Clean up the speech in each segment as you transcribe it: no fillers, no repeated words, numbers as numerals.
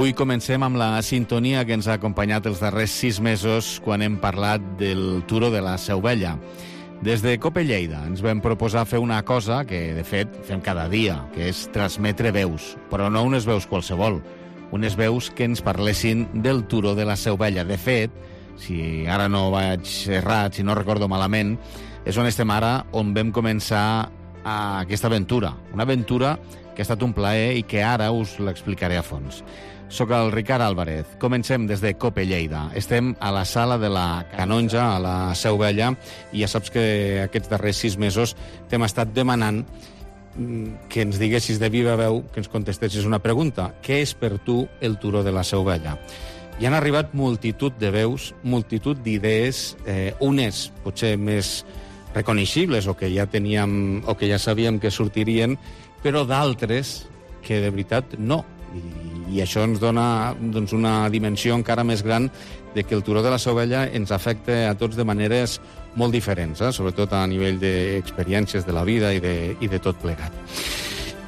Avui comencem amb la sintonia que ens ha acompanyat els darrers 6 mesos quan hem parlat del Turó de la Seu Vella. Des de Cope Lleida ens vam proposar fer una cosa que, de fet, fem cada dia, que és transmetre veus, però no unes veus qualsevol, unes veus que ens parlessin del Turó de la Seu Vella. De fet, si ara no vaig errat, si no recordo malament, és on estem ara, on vam començar aquesta aventura. Una aventura que ha estat un plaer i que ara us l'explicaré a fons. Soc el Ricard Álvarez. Comencem des de Cope Lleida. Estem a la sala de la Canonja, a la Seu Vella, i ja saps que aquests darrers 6 mesos t'hem estat demanant que ens diguessis de viva veu, que ens contestessis una pregunta. Què és per tu el Turó de la Seu Vella? Hi han arribat multitud de veus, multitud d'idees, unes potser més reconeixibles o que ja teníem o que ja sabíem que sortirien, però d'altres que de veritat no. I això ens dona una dimensió encara més gran de que el Turó de la Seu Vella ens afecta a tots de maneres molt diferents, sobretot a nivell d'experiències de la vida i de tot plegat.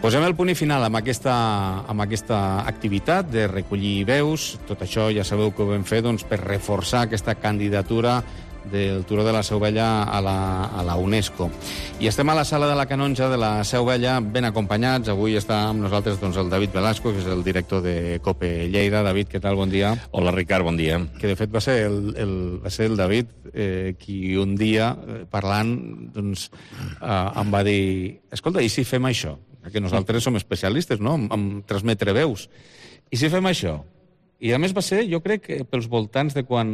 Posem el punt i final amb aquesta activitat de recollir veus. Tot això ja sabeu que ho vam fer per reforçar aquesta candidatura del Turó de la Seu Vella a la UNESCO. I estem a la sala de la Canonja de la Seu Vella ben acompanyats. Avui està amb nosaltres el David Velasco, que és el director de Cope Lleida. David, què tal? Bon dia. Hola, Ricard, bon dia. Que de fet va ser el David qui un dia, parlant, em va dir: escolta, i si fem això? Que nosaltres som especialistes, no?, en transmetre veus. I si fem això? I a més va ser, jo crec, pels voltants de quan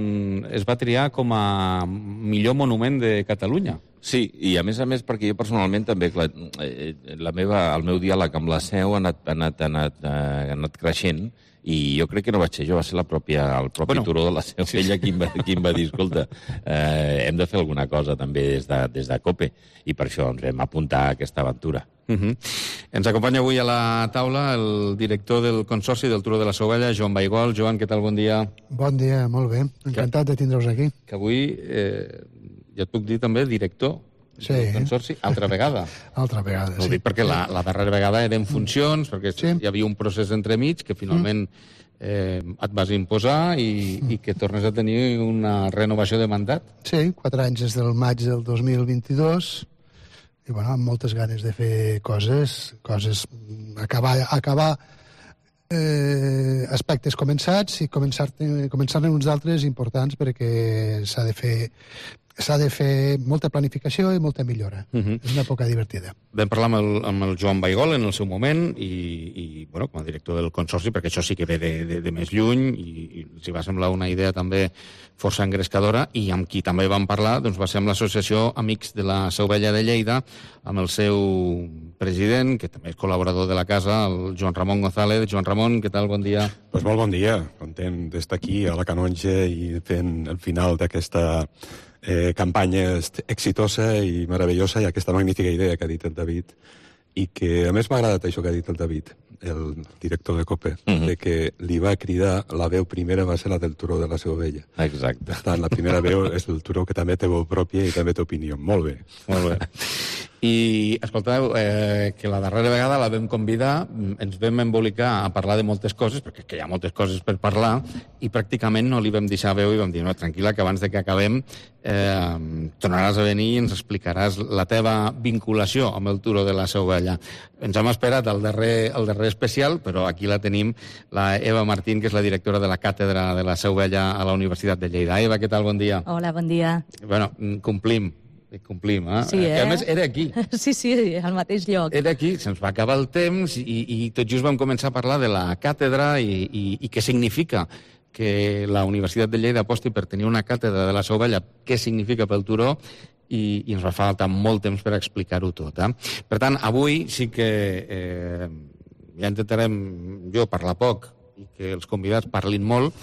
es va triar com a millor monument de Catalunya. Sí, i a més perquè jo personalment també, clar, el meu diàleg amb la Seu ha anat creixent, i jo crec que no vaig ser jo, va ser el propi Turó de la Seu Vella qui em va dir: escolta, hem de fer alguna cosa també des de Cope, i per això ens vam apuntar a aquesta aventura. Ens acompanya avui a la taula el director del Consorci del Turó de la Seu Vella, Joan Baigol. Joan, què tal? Bon dia. Bon dia, molt bé. Encantat de tindre-vos aquí. Que avui, ja et puc dir també, director del Consorci, altra vegada. Altra vegada, sí. Ho dic perquè la darrera vegada era en funcions, perquè hi havia un procés entremig que finalment et vas imposar i que tornes a tenir una renovació de mandat. Sí, 4 anys des del maig del 2022, i amb moltes ganes de fer coses, acabar aspectes començats i començar-ne uns altres importants, perquè s'ha de fer molta planificació i molta millora. És una època divertida. Vam parlar amb el Joan Baigol en el seu moment i com a director del Consorci, perquè això sí que ve de més lluny i els va semblar una idea també força engrescadora, i amb qui també vam parlar va ser amb l'Associació Amics de la Seu Vella de Lleida, amb el seu president, que també és col·laborador de la casa, el Joan Ramon González. Joan Ramon, què tal? Bon dia. Doncs molt bon dia. Content d'estar aquí a la Canonja i fent el final d'aquesta campanya exitosa i meravellosa, i aquesta magnífica idea que ha dit el David, i que a més m'ha agradat això que ha dit el David, el director de Cope, de que li va cridar, la veu primera va ser la del Turó de la Seu Vella. Exacte. Per tant, la primera veu és el Turó, que també té veu pròpia i també té opinió. Molt bé. Molt bé. I, escolteu, que la darrera vegada la vam convidar, ens vam embolicar a parlar de moltes coses, perquè hi ha moltes coses per parlar, i pràcticament no li vam deixar veu i vam dir: no, tranquil·la, que abans de que acabem tornaràs a venir i ens explicaràs la teva vinculació amb el Turó de la Seu Vella. Ens hem esperat al darrer especial, però aquí la tenim, la Eva Martín, que és la directora de la Càtedra de la Seu Vella a la Universitat de Lleida. Eva, què tal? Bon dia. Hola, bon dia. Bueno, complim, Sí, que a més era aquí. Sí, al mateix lloc. Era aquí, se'ns va acabar el temps i tot just vam començar a parlar de la càtedra i què significa que la Universitat de Lleida aposti per tenir una càtedra de la Seu Vella, què significa pel Turó, i ens va faltar molt temps per explicar-ho tot. Per tant, avui sí que ja intentarem jo parlar poc i que els convidats parlin molt.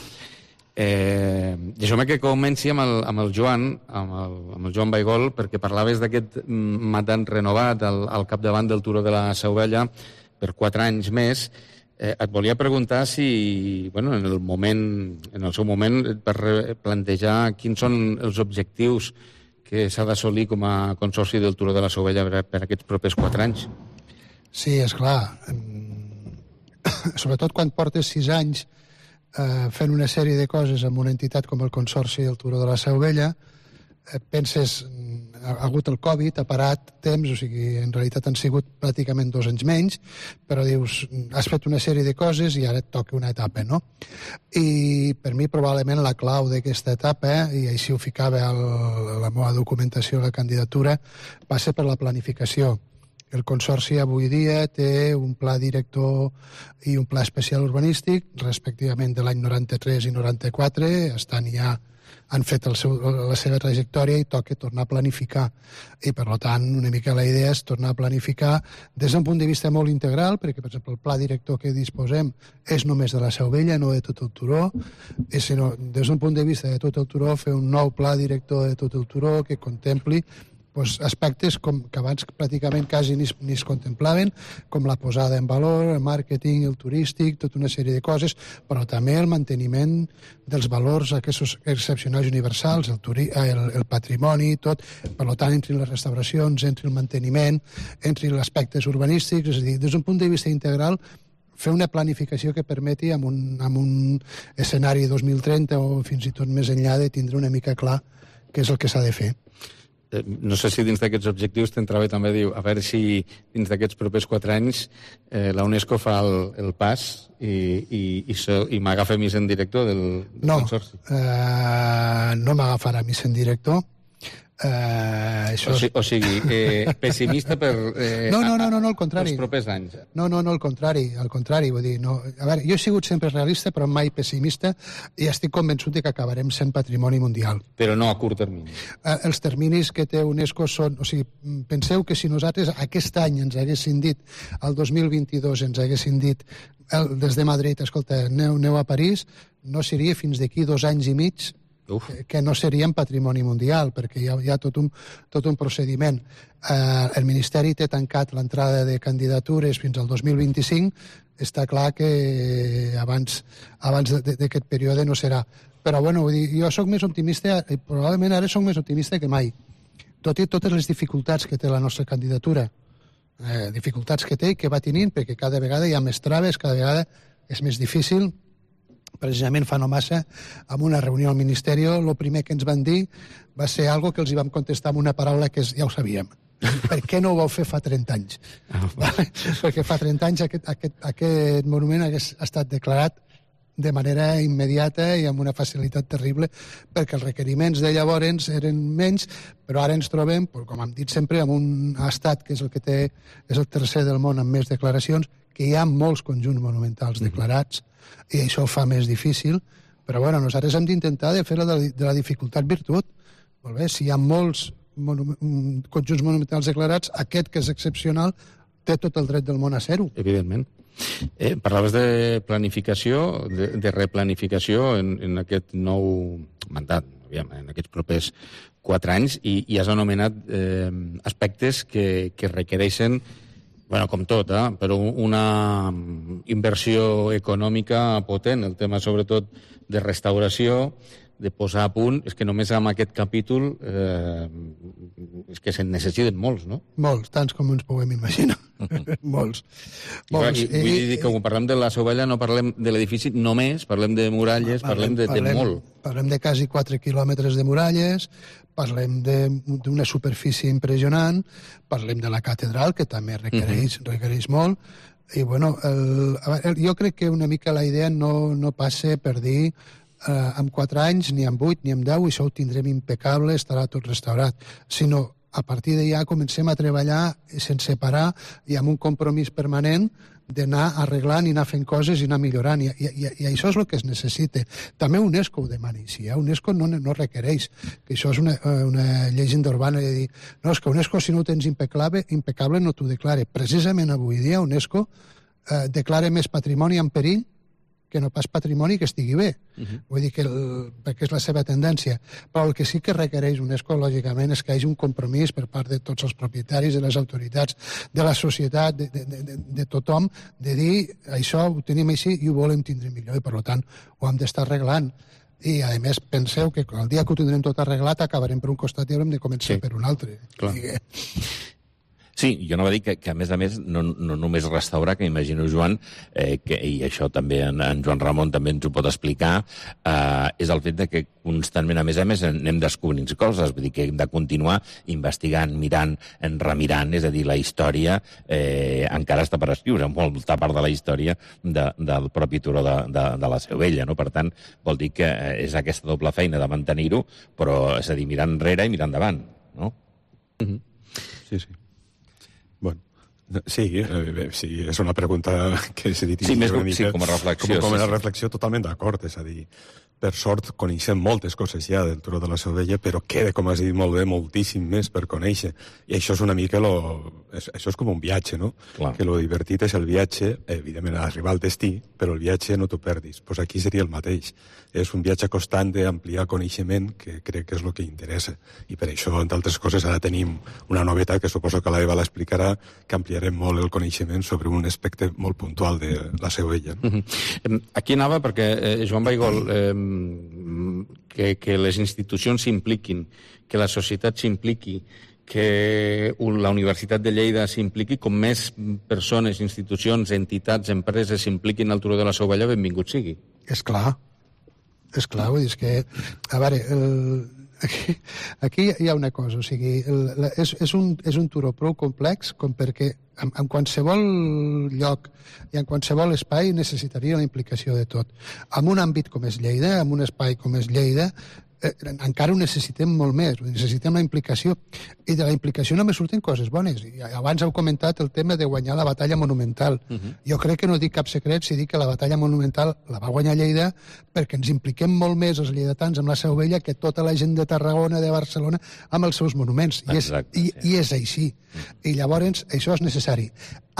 Deixeu-me que comenci amb el Joan, amb el Joan Baigol, perquè parlaves d'aquest mandat renovat al capdavant del Turó de la Seu Vella per 4 anys més. Et volia preguntar si, en el seu moment, et vas plantejar quins són els objectius que s'ha d'assolir com a Consorci del Turó de la Seu Vella per aquests propers 4 anys. Sí, esclar. Sobretot quan portes 6 anys fent una sèrie de coses amb una entitat com el Consorci del Turó de la Seu Vella. Penses, ha hagut el Covid, ha parat temps, o sigui, en realitat han sigut pràcticament 2 anys menys, però dius, has fet una sèrie de coses i ara et toca una etapa, no? I per mi probablement la clau d'aquesta etapa, i així ho ficava a la meva documentació a la candidatura, va ser per la planificació. El Consorci avui dia té un pla director i un pla especial urbanístic, respectivament de l'any 93 i 94, han fet la seva trajectòria i toca tornar a planificar. I, per tant, una mica la idea és tornar a planificar des d'un punt de vista molt integral, perquè, per exemple, el pla director que disposem és només de la Seu Vella, no de tot el turó, i sinó, des d'un punt de vista de tot el turó, fer un nou pla director de tot el turó que contempli aspectes que abans pràcticament quasi ni es contemplaven, com la posada en valor, el màrqueting, el turístic, tota una sèrie de coses, però també el manteniment dels valors aquests excepcionals universals, el patrimoni, tot. Per tant, entre les restauracions, entre el manteniment, entre els aspectes urbanístics, és a dir, des d'un punt de vista integral, fer una planificació que permeti amb un escenari 2030 o fins i tot més enllà de tindre una mica clar què és el que s'ha de fer. No sé si dins d'aquests objectius t'entrava també, diu, a veure si dins d'aquests propers 4 anys la UNESCO fa el pas i m'agafa a mi sent director del consorci. No m'agafarà a mi sent director. O sigui, pessimista per al contrari. Els propers anys. No, al contrari, vull dir, no. A veure, jo he sigut sempre realista, però mai pessimista, i estic convençut que acabarem sent patrimoni mundial. Però no a curt termini. Els terminis que té UNESCO són... O sigui, penseu que si nosaltres aquest any ens haguessin dit, el 2022 ens haguessin dit des de Madrid, escolta, aneu a París, no seria fins d'aquí 2 anys i mig que no serien patrimoni mundial, perquè hi ha tot un procediment. El Ministeri té tancat l'entrada de candidatures fins al 2025, està clar que abans d'aquest període no serà. Però, bueno, jo sóc més optimista, i probablement ara sóc més optimista que mai. Tot i totes les dificultats que té la nostra candidatura, dificultats que té i que va tenint, perquè cada vegada hi ha més traves, cada vegada és més difícil. Precisament fa no massa, en una reunió al Ministeri, el primer que ens van dir va ser algo que els hi vam contestar amb una paraula que ja ho sabíem. Per què no ho vau fer fa 30 anys? Perquè fa 30 anys aquest monument hagués estat declarat de manera immediata i amb una facilitat terrible, perquè els requeriments de llavors eren menys, però ara ens trobem, com hem dit sempre, en un estat que és el tercer del món amb més declaracions, que hi ha molts conjunts monumentals declarats, i això ho fa més difícil, però bueno, nosaltres hem d'intentar de fer de la dificultat virtut. Molt bé, si hi ha molts conjunts monumentals declarats, aquest, que és excepcional, té tot el dret del món a ser-ho. Evidentment. Parlaves de planificació, de replanificació en aquest nou mandat, en aquests propers 4 anys, i has anomenat aspectes que requereixen, bueno, com tot, però una inversió econòmica potent, el tema sobretot de restauració, de posar a punt, és que només amb aquest capítol és que se'n necessiten molts, no? Molts, tants com ens puguem imaginar. Molts. Vull dir que quan parlem de la Seu Vella no parlem de l'edifici només, parlem de muralles, parlem de molt. Parlem de quasi 4 quilòmetres de muralles, parlem d'una superfície impressionant, parlem de la catedral, que també requereix molt, i bueno, jo crec que una mica la idea no passa per dir en 4 anys, ni en 8, ni en 10, això ho tindrem impecable, estarà tot restaurat, sinó a partir d'allà comencem a treballar sense parar i amb un compromís permanent d'anar arreglant i anar fent coses i anar millorant, i això és el que es necessita. També UNESCO ho demana així, UNESCO no requereix, que això és una llegenda urbana de dir, no, és que UNESCO si no ho tens impecable no t'ho declara. Precisament avui dia UNESCO declara més patrimoni en perill que no pas patrimoni que estigui bé. Vull dir que perquè és la seva tendència. Però el que sí que requereix UNESCO, lògicament, és que hi hagi un compromís per part de tots els propietaris, de les autoritats, de la societat, de tothom, de dir això ho tenim així i ho volem tindre millor, i per tant ho hem d'estar arreglant. I, a més, penseu que el dia que ho tindrem tot arreglat acabarem per un costat i haurem de començar per un altre. Clar. Sí, jo anava a dir que a més, no només restaurar, que m'imagino, Joan, i això també en Joan Ramon també ens ho pot explicar, és el fet de que constantment, a més, anem descobrint coses, vull dir que hem de continuar investigant, mirant, remirant, és a dir, la història encara està per escriure, molta part de la història del propi turó de la Seu Vella, no? Per tant, vol dir que és aquesta doble feina de mantenir-ho, però, és a dir, mirar enrere i mirar endavant, no? Sí. Bueno, sí, és una pregunta que s'ha dit... Sí, com a reflexió. Com a reflexió, totalment d'acord, és a dir, per sort coneixem moltes coses ja del Turó de la Seu Vella, però queda, com has dit molt bé, moltíssim més per conèixer. I això és una mica... Això és com un viatge, no? Clar. Que lo divertit és el viatge, evidentment, arribar al destí, però el viatge no t'ho perdis. Pues aquí seria el mateix. És un viatge constant d'ampliar coneixement, que crec que és el que interessa. I per això, entre altres coses, ara tenim una novetat, que suposo que l'Eva l'explicarà, que ampliarem molt el coneixement sobre un aspecte molt puntual de la Seu Vella. No? Aquí anava perquè, Joan Baigol, que les institucions s'impliquin, que la societat s'impliqui, que la Universitat de Lleida s'impliqui, com més persones, institucions, entitats, empreses s'impliquin al Turó de la Seu Vella, benvingut sigui. És clar, vull dir, és que... A veure, aquí hi ha una cosa, o sigui, és un turó prou complex com perquè en qualsevol lloc i en qualsevol espai necessitaria la implicació de tot. En un àmbit com és Lleida, en un espai com és Lleida, encara ho necessitem molt més, necessitem la implicació, i de la implicació només surten coses bones. I abans heu comentat el tema de guanyar la batalla monumental. Jo crec que no dic cap secret si dic que la batalla monumental la va guanyar Lleida perquè ens impliquem molt més els lleidatans amb la Seu Vella que tota la gent de Tarragona, de Barcelona, amb els seus monuments. I és així. I llavors això és necessari.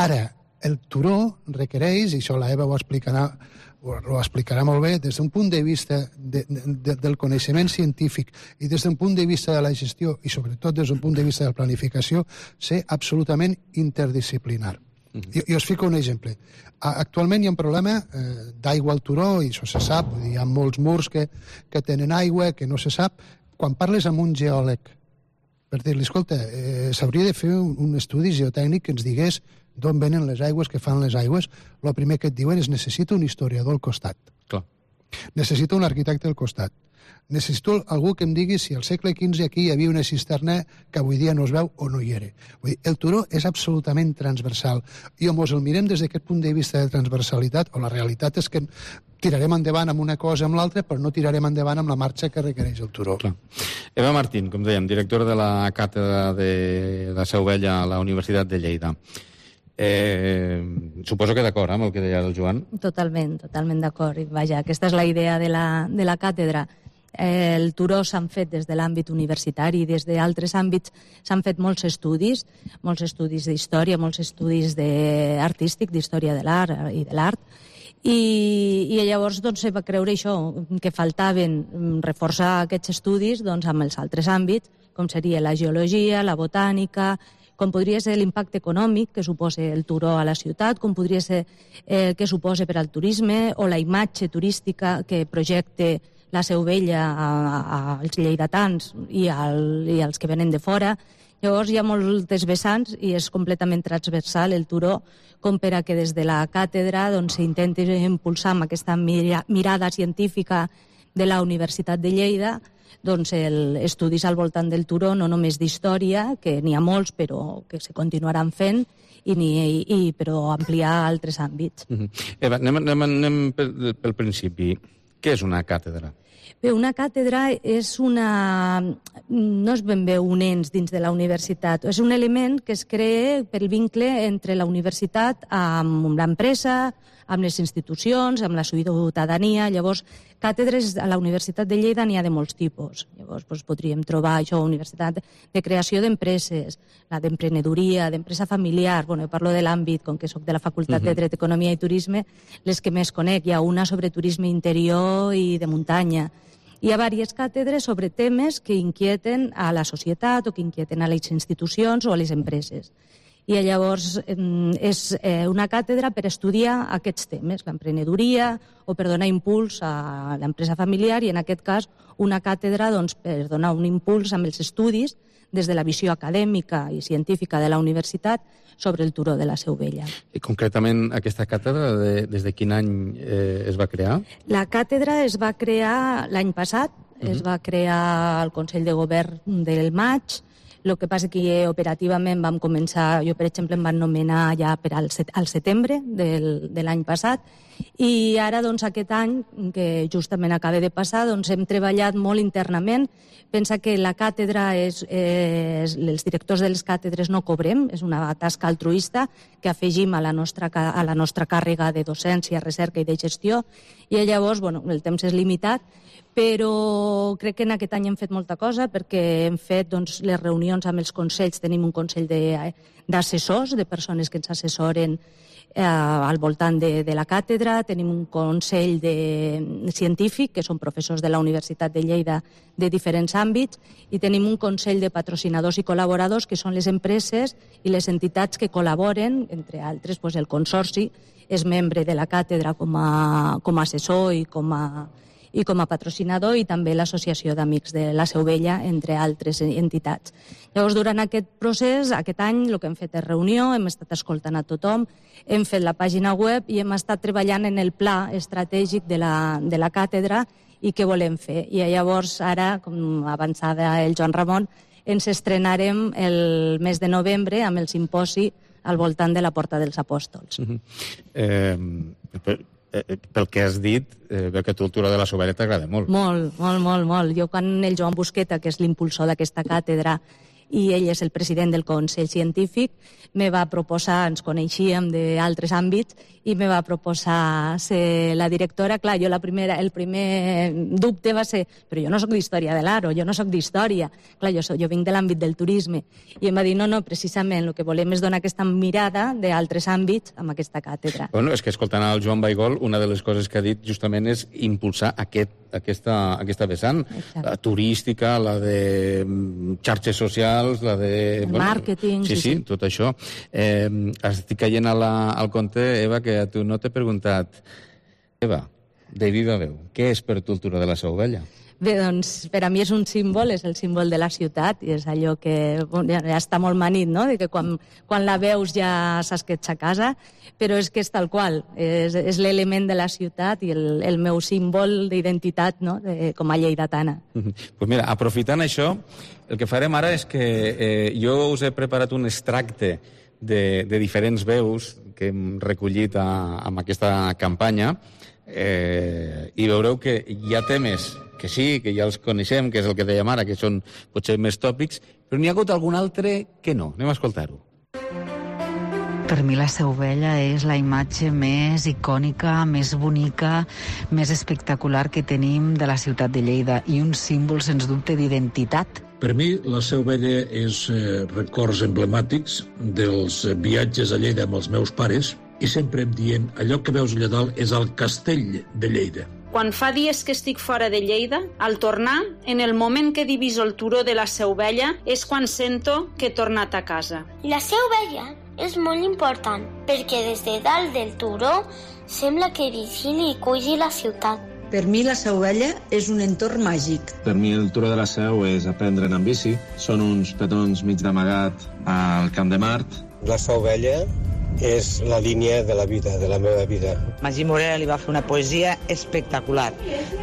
Ara, el turó requereix, i això la Eva ho explicarà molt bé, des d'un punt de vista del coneixement científic i des d'un punt de vista de la gestió i sobretot des d'un punt de vista de la planificació, ser absolutament interdisciplinar. Jo us fico un exemple. Actualment hi ha un problema d'aigua al turó, i això se sap, hi ha molts murs que tenen aigua, que no se sap. Quan parles amb un geòleg, per dir-li, escolta, s'hauria de fer un estudi geotècnic que ens digués d'on venen les aigües, que fan les aigües, el primer que et diuen és necessito un historiador al costat. Clar. Necessito un arquitecte al costat. Necessito algú que em digui si al segle XV aquí hi havia una cisterna que avui dia no es veu o no hi era. Vull dir, el turó és absolutament transversal. I o mos el mirem des d'aquest punt de vista de transversalitat, o la realitat és que tirarem endavant amb una cosa amb l'altra, però no tirarem endavant amb la marxa que requereix el turó. Clar. Eva Martín, com dèiem, directora de la càtedra de la Seu Vella a la Universitat de Lleida. Suposo que d'acord amb el que deia el Joan. Totalment d'acord. Vaja, aquesta és la idea de la càtedra. El turó s'han fet des de l'àmbit universitari i des d'altres àmbits s'han fet molts estudis d'història, molts estudis artístic, d'història de l'art i de l'art, i llavors se va creure això, que faltaven reforçar aquests estudis amb els altres àmbits, com seria la geologia, la botànica, com podria ser l'impacte econòmic que suposa el turó a la ciutat, com podria ser què suposa per al turisme o la imatge turística que projecta la Seu Vella als lleidatans i als que venen de fora. Llavors hi ha moltes vessants i és completament transversal el turó, com per a que des de la càtedra s'intenti impulsar amb aquesta mirada científica de la Universitat de Lleida estudis al voltant del turó, no només d'història, que n'hi ha molts però que se continuaran fent, però ampliar altres àmbits. Eva, anem pel principi. Què és una càtedra? Bé, una càtedra no és ben bé un ens dins de la universitat, és un element que es crea pel vincle entre la universitat amb l'empresa, amb les institucions, amb la ciutadania. Llavors, càtedres a la Universitat de Lleida n'hi ha de molts tipus. Llavors, podríem trobar això, universitat de creació d'empreses, la d'emprenedoria, d'empresa familiar. Jo parlo de l'àmbit, com que soc de la Facultat de Dret, Economia i Turisme, les que més conec. Hi ha una sobre turisme interior i de muntanya. Hi ha diverses càtedres sobre temes que inquieten a la societat o que inquieten a les institucions o a les empreses. I llavors és una càtedra per estudiar aquests temes, l'emprenedoria o per donar impuls a l'empresa familiar, i en aquest cas una càtedra per donar un impuls amb els estudis des de la visió acadèmica i científica de la universitat sobre el turó de la Seu Vella. I concretament aquesta càtedra, des de quin any es va crear? La càtedra es va crear l'any passat, es va crear al Consell de Govern del maig. El que passa que operativament vam començar, jo per exemple em van nomenar ja per al setembre de l'any passat, i ara doncs aquest any, que justament acaba de passar, doncs hem treballat molt internament. Pensa que la càtedra, els directors de les càtedres no cobrem, és una tasca altruista que afegim a la nostra càrrega de docència, recerca i de gestió, i llavors el temps és limitat, però crec que en aquest any hem fet molta cosa perquè hem fet les reunions amb els consells. Tenim un consell d'assessors, de persones que ens assessoren al voltant de la càtedra. Tenim un consell científic, que són professors de la Universitat de Lleida de diferents àmbits, i tenim un consell de patrocinadors i col·laboradors, que són les empreses i les entitats que col·laboren, entre altres el Consorci és membre de la càtedra com a assessor i com a patrocinador, i també l'Associació d'Amics de la Seu Vella, entre altres entitats. Llavors, durant aquest procés, aquest any, el que hem fet és reunió, hem estat escoltant a tothom, hem fet la pàgina web i hem estat treballant en el pla estratègic de la càtedra i què volem fer. I llavors, ara, com avançava el Joan Ramon, ens estrenarem el mes de novembre amb el simposi al voltant de la Porta dels Apòstols. Pel que has dit, veu que a tu el turó de la Seu Vella t'agrada molt. Molt. Jo, quan el Joan Busqueta, que és l'impulsor d'aquesta càtedra, i ell és el president del Consell Científic, me va proposar, ens coneixíem d'altres àmbits, i me va proposar ser la directora. Clar, jo el primer dubte va ser, però jo no soc d'història de l'art, jo no soc d'història. Clar, jo vinc de l'àmbit del turisme. I em va dir, no, precisament el que volem és donar aquesta mirada d'altres àmbits amb aquesta càtedra. Bueno, és que escoltant el Joan Baigol, una de les coses que ha dit justament és impulsar aquesta vessant, la turística, la de xarxes socials, la de... Màrqueting... Sí, tot això. Estic caient al compte, Eva, que a tu no t'he preguntat. Eva, de viva veu, què és per tu el turó de la Seu Vella? Bé, doncs, per a mi és un símbol, és el símbol de la ciutat, i és allò que ja està molt manit, no?, de que quan la veus ja saps que ets a casa, però és que és tal qual, és l'element de la ciutat i el meu símbol d'identitat, no?, com a lleidatana. Pues mira, aprofitant això, el que farem ara és que jo us he preparat un extracte de diferents veus que hem recollit amb aquesta campanya, i veureu que hi ha temes que sí, que ja els coneixem, que és el que dèiem ara, que són potser més tòpics, però n'hi ha hagut algun altre que no. Anem a escoltar-ho. Per mi la Seu Vella és la imatge més icònica, més bonica, més espectacular que tenim de la ciutat de Lleida, i un símbol, sens dubte, d'identitat. Per mi, la Seu Vella és records emblemàtics dels viatges a Lleida amb els meus pares, i sempre em dient, allò que veus allà dalt és el castell de Lleida. Quan fa dies que estic fora de Lleida, al tornar, en el moment que diviso el turó de la Seu Vella, és quan sento que he tornat a casa. La Seu Vella és molt important, perquè des de dalt del turó sembla que vigili i cuidi la ciutat. Per mi la Seu Vella és un entorn màgic. Per mi el turó de la Seu és aprendre en bici. Són uns petons mig d'amagat al Camp de Mart. La Seu Vella és la línia de la vida, de la meva vida. Magí Morera li va fer una poesia espectacular,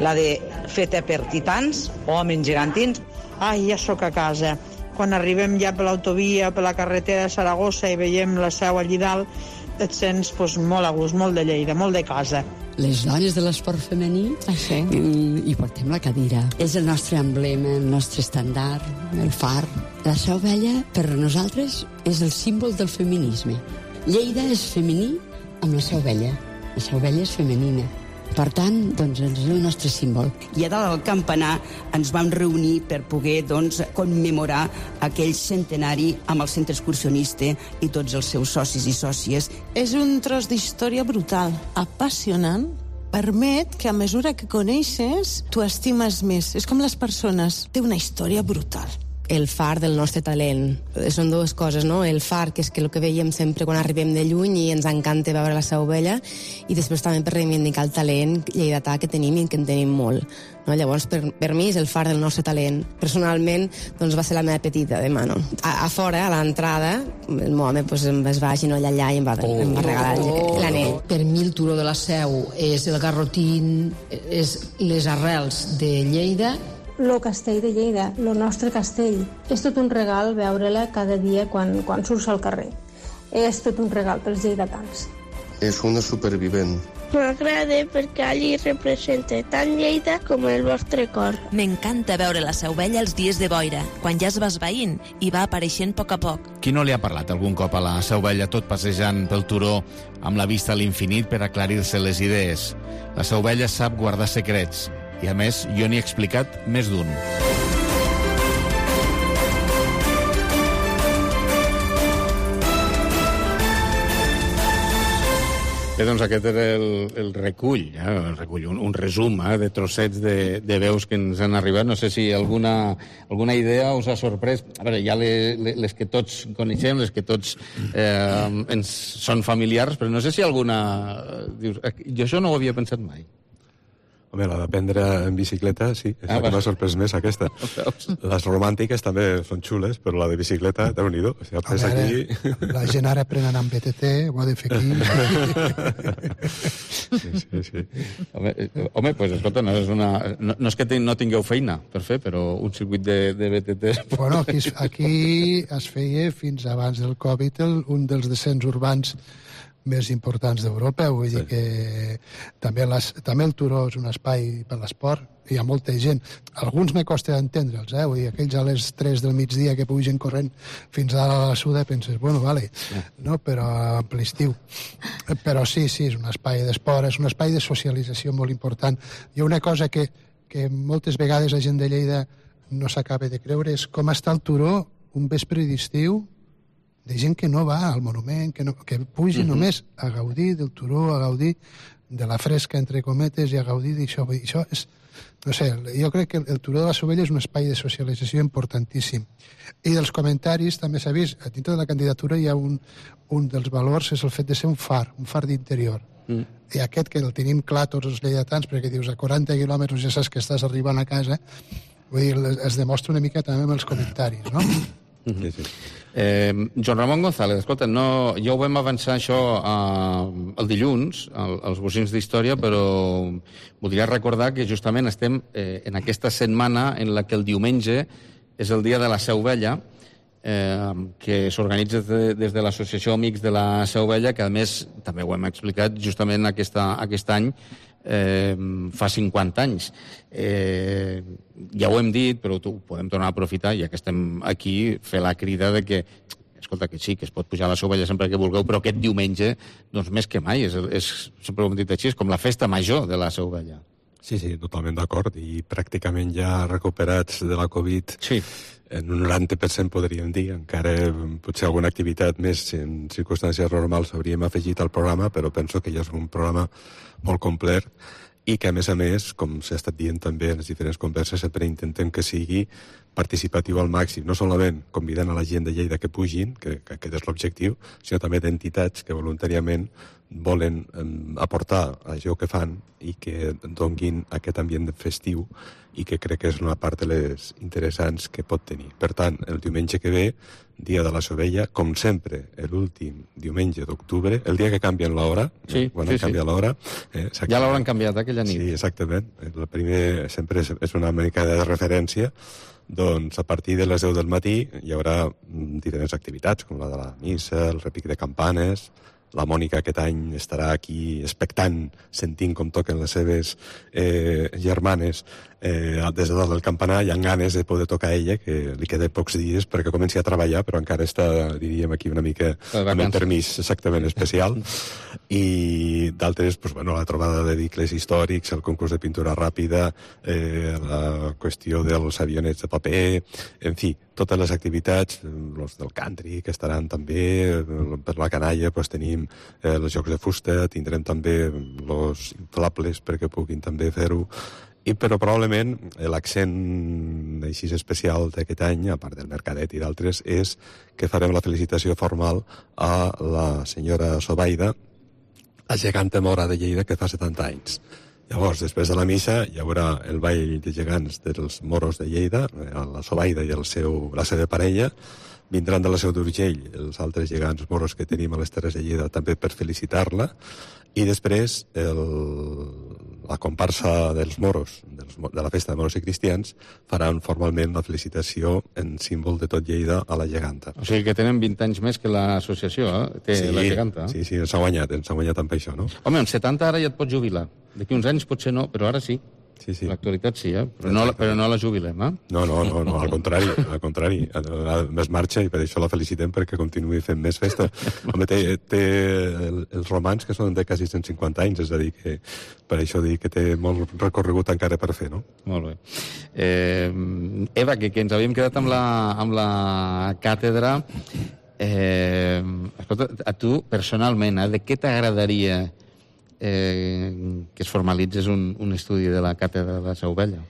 la de feta per titans o homes gegantins. Ai, ja sóc a casa. Quan arribem ja per l'autovia, per la carretera de Saragossa i veiem la Seu allí dalt, et sents molt a gust, molt de Lleida, molt de casa. Les dones de l'esport femení i portem la cadira. És el nostre emblema, el nostre estàndard, el far. La Seu Vella, per nosaltres, és el símbol del feminisme. Lleida és femení amb la Seu Vella. La Seu Vella és femenina. Per tant, doncs, és el nostre símbol. I a dalt del campanar ens vam reunir per poder, commemorar aquell centenari amb el centre excursionista i tots els seus socis i sòcies. És un tros d'història brutal, apassionant. Permet que a mesura que coneixes, tu estimes més. És com les persones. Té una història brutal. el far del nostre talent. Són dues coses, no? El far, que és el que veiem sempre quan arribem de lluny i ens encanta veure la Seu Vella, i després també per reivindicar el talent lleidatà que tenim i que en tenim molt. No? Llavors, per mi és el far del nostre talent. Personalment, doncs va ser la meva petita de mano. A fora, a l'entrada, el meu home es va agenollar allà i em va regalar l'anell. Per mi el turó de la Seu és el garrotín, és les arrels de Lleida. Lo castell de Lleida, lo nostre castell. És tot un regal veure-la cada dia quan surts al carrer. És tot un regal pels lleidatans. És una supervivent. M'agrada perquè allí representa tant Lleida com el vostre cor. M'encanta veure la Seu Vella els dies de boira, quan ja es va esvaint i va apareixent a poc a poc. Qui no li ha parlat algun cop a la Seu Vella tot passejant pel turó amb la vista a l'infinit per aclarir-se les idees? La Seu Vella sap guardar secrets i, a més, jo n'hi he explicat més d'un. Bé, doncs aquest era el recull, un resum de trossets de veus que ens han arribat. No sé si alguna idea us ha sorprès. A veure, hi ha les que tots coneixem, les que tots ens són familiars, però no sé si alguna... Dius, jo això no ho havia pensat mai. Home, la d'aprendre en bicicleta, sí, és la que m'ha sorprès més, aquesta. Les romàntiques també són xules, però la de bicicleta, Déu-n'hi-do. O sigui, a veure, aquí... la gent ara aprenen amb BTT, ho ha de fer aquí. Sí. Home, pues, escolta, no és que no tingueu feina per fer, però un circuit de BTT... Bueno, aquí es feia fins abans del Covid un dels descens urbans més importants d'Europa, vull dir que també el turó és un espai per l'esport, hi ha molta gent. Alguns me costa d'entendre'ls, vull dir, aquells a les 3 del migdia que pugen corrent fins a la Suda, penses, bueno, vale, no? Però en ple estiu. Però sí, és un espai d'esport, és un espai de socialització molt important. Hi ha una cosa que moltes vegades la gent de Lleida no s'acaba de creure, és com està el turó un vespre d'estiu de gent que no va al monument, que pugi només a gaudir del turó, a gaudir de la fresca, entre cometes, i a gaudir d'això. Això és, no sé, jo crec que el turó de la Seu Vella és un espai de socialització importantíssim. I dels comentaris també s'ha vist, a dintre de la candidatura hi ha un dels valors, és el fet de ser un far d'interior. I aquest que el tenim clar tots els lleidatans, perquè dius, a 40 quilòmetres ja saps que estàs arribant a casa, vull dir, es demostra una mica també amb els comentaris, no? Sí. Joan Ramon González, escolta, ja ho vam avançar això el dilluns, als bocins d'història, però voldria recordar que justament estem en aquesta setmana en la que el diumenge és el dia de la Seu Vella, que s'organitza des de l'Associació Amics de la Seu Vella, que a més, també ho hem explicat, justament aquest any fa 50 anys. Ja ho hem dit, però ho podem tornar a aprofitar, ja que estem aquí, fer la crida de que, escolta, que sí, que es pot pujar a la Seu Vella sempre que vulgueu, però aquest diumenge, doncs més que mai, sempre ho hem dit així, és com la festa major de la Seu Vella. Sí, totalment d'acord, i pràcticament ja recuperats de la Covid, en un 90% podríem dir, encara potser alguna activitat més en circumstàncies normals hauríem afegit al programa, però penso que ja és un programa molt complet i que, a més, com s'ha estat dient també en les diferents converses, sempre intentem que sigui participatiu al màxim, no solament convidant a la gent de Lleida que pugin, que aquest és l'objectiu, sinó també d'entitats que voluntàriament volen aportar això que fan i que donguin aquest ambient festiu i que crec que és una part de les interessants que pot tenir. Per tant, el diumenge que ve, dia de la Seu Vella, com sempre, l'últim diumenge d'octubre, el dia que canvien l'hora, quan han canviat l'hora... Ja l'hauran canviat aquella nit. Sí, exactament. El primer sempre és una mica de referència. Doncs a partir de les 10 del matí hi haurà diferents activitats, com la de la missa, el repic de campanes. La Mònica aquest any estarà aquí expectant, sentint com toquen les seves germanes des de dalt del campanar, i amb ganes de poder tocar a ella, que li queda pocs dies perquè comenci a treballar, però encara està, diríem, aquí una mica amb el permís exactament especial. I d'altres, la trobada de vehicles històrics, el concurs de pintura ràpida, la qüestió dels avionets de paper, en fi, totes les activitats, els del country, que estaran també, per la canalla tenim els jocs de fusta, tindrem també els inflables perquè puguin també fer-ho, Però probablement l'accent així especial d'aquest any, a part del Mercadet i d'altres, és que farem la felicitació formal a la senyora Sobaida, la geganta mora de Lleida, que fa 70 anys. Llavors, després de la missa, hi haurà el ball de gegants dels moros de Lleida, la Sobaida i la seva parella. Vindran de la Seu d'Urgell els altres gegants moros que tenim a les Terres de Lleida també per felicitar-la. I després la comparsa dels moros, de la festa de moros i cristians, faran formalment la felicitació en símbol de tot Lleida a la geganta. O sigui que tenen 20 anys més que l'associació, la geganta. Sí, ens ha guanyat amb això, no? Home, amb 70 ara ja et pots jubilar. D'aquí uns anys potser no, però ara sí. Sí. L'actualitat sí, però no la jubilem, eh? No, al contrari. Més marxa i per això la felicitem perquè continuï fent més festa. Home, té els romans que són de quasi 150 anys, és a dir, que per això dic que té molt recorregut encara per fer, no? Molt bé. Eva, que ens havíem quedat amb la càtedra. Escolta, a tu, personalment, de què t'agradaria que es formalitzés un estudi de la càtedra de la Seu Vella?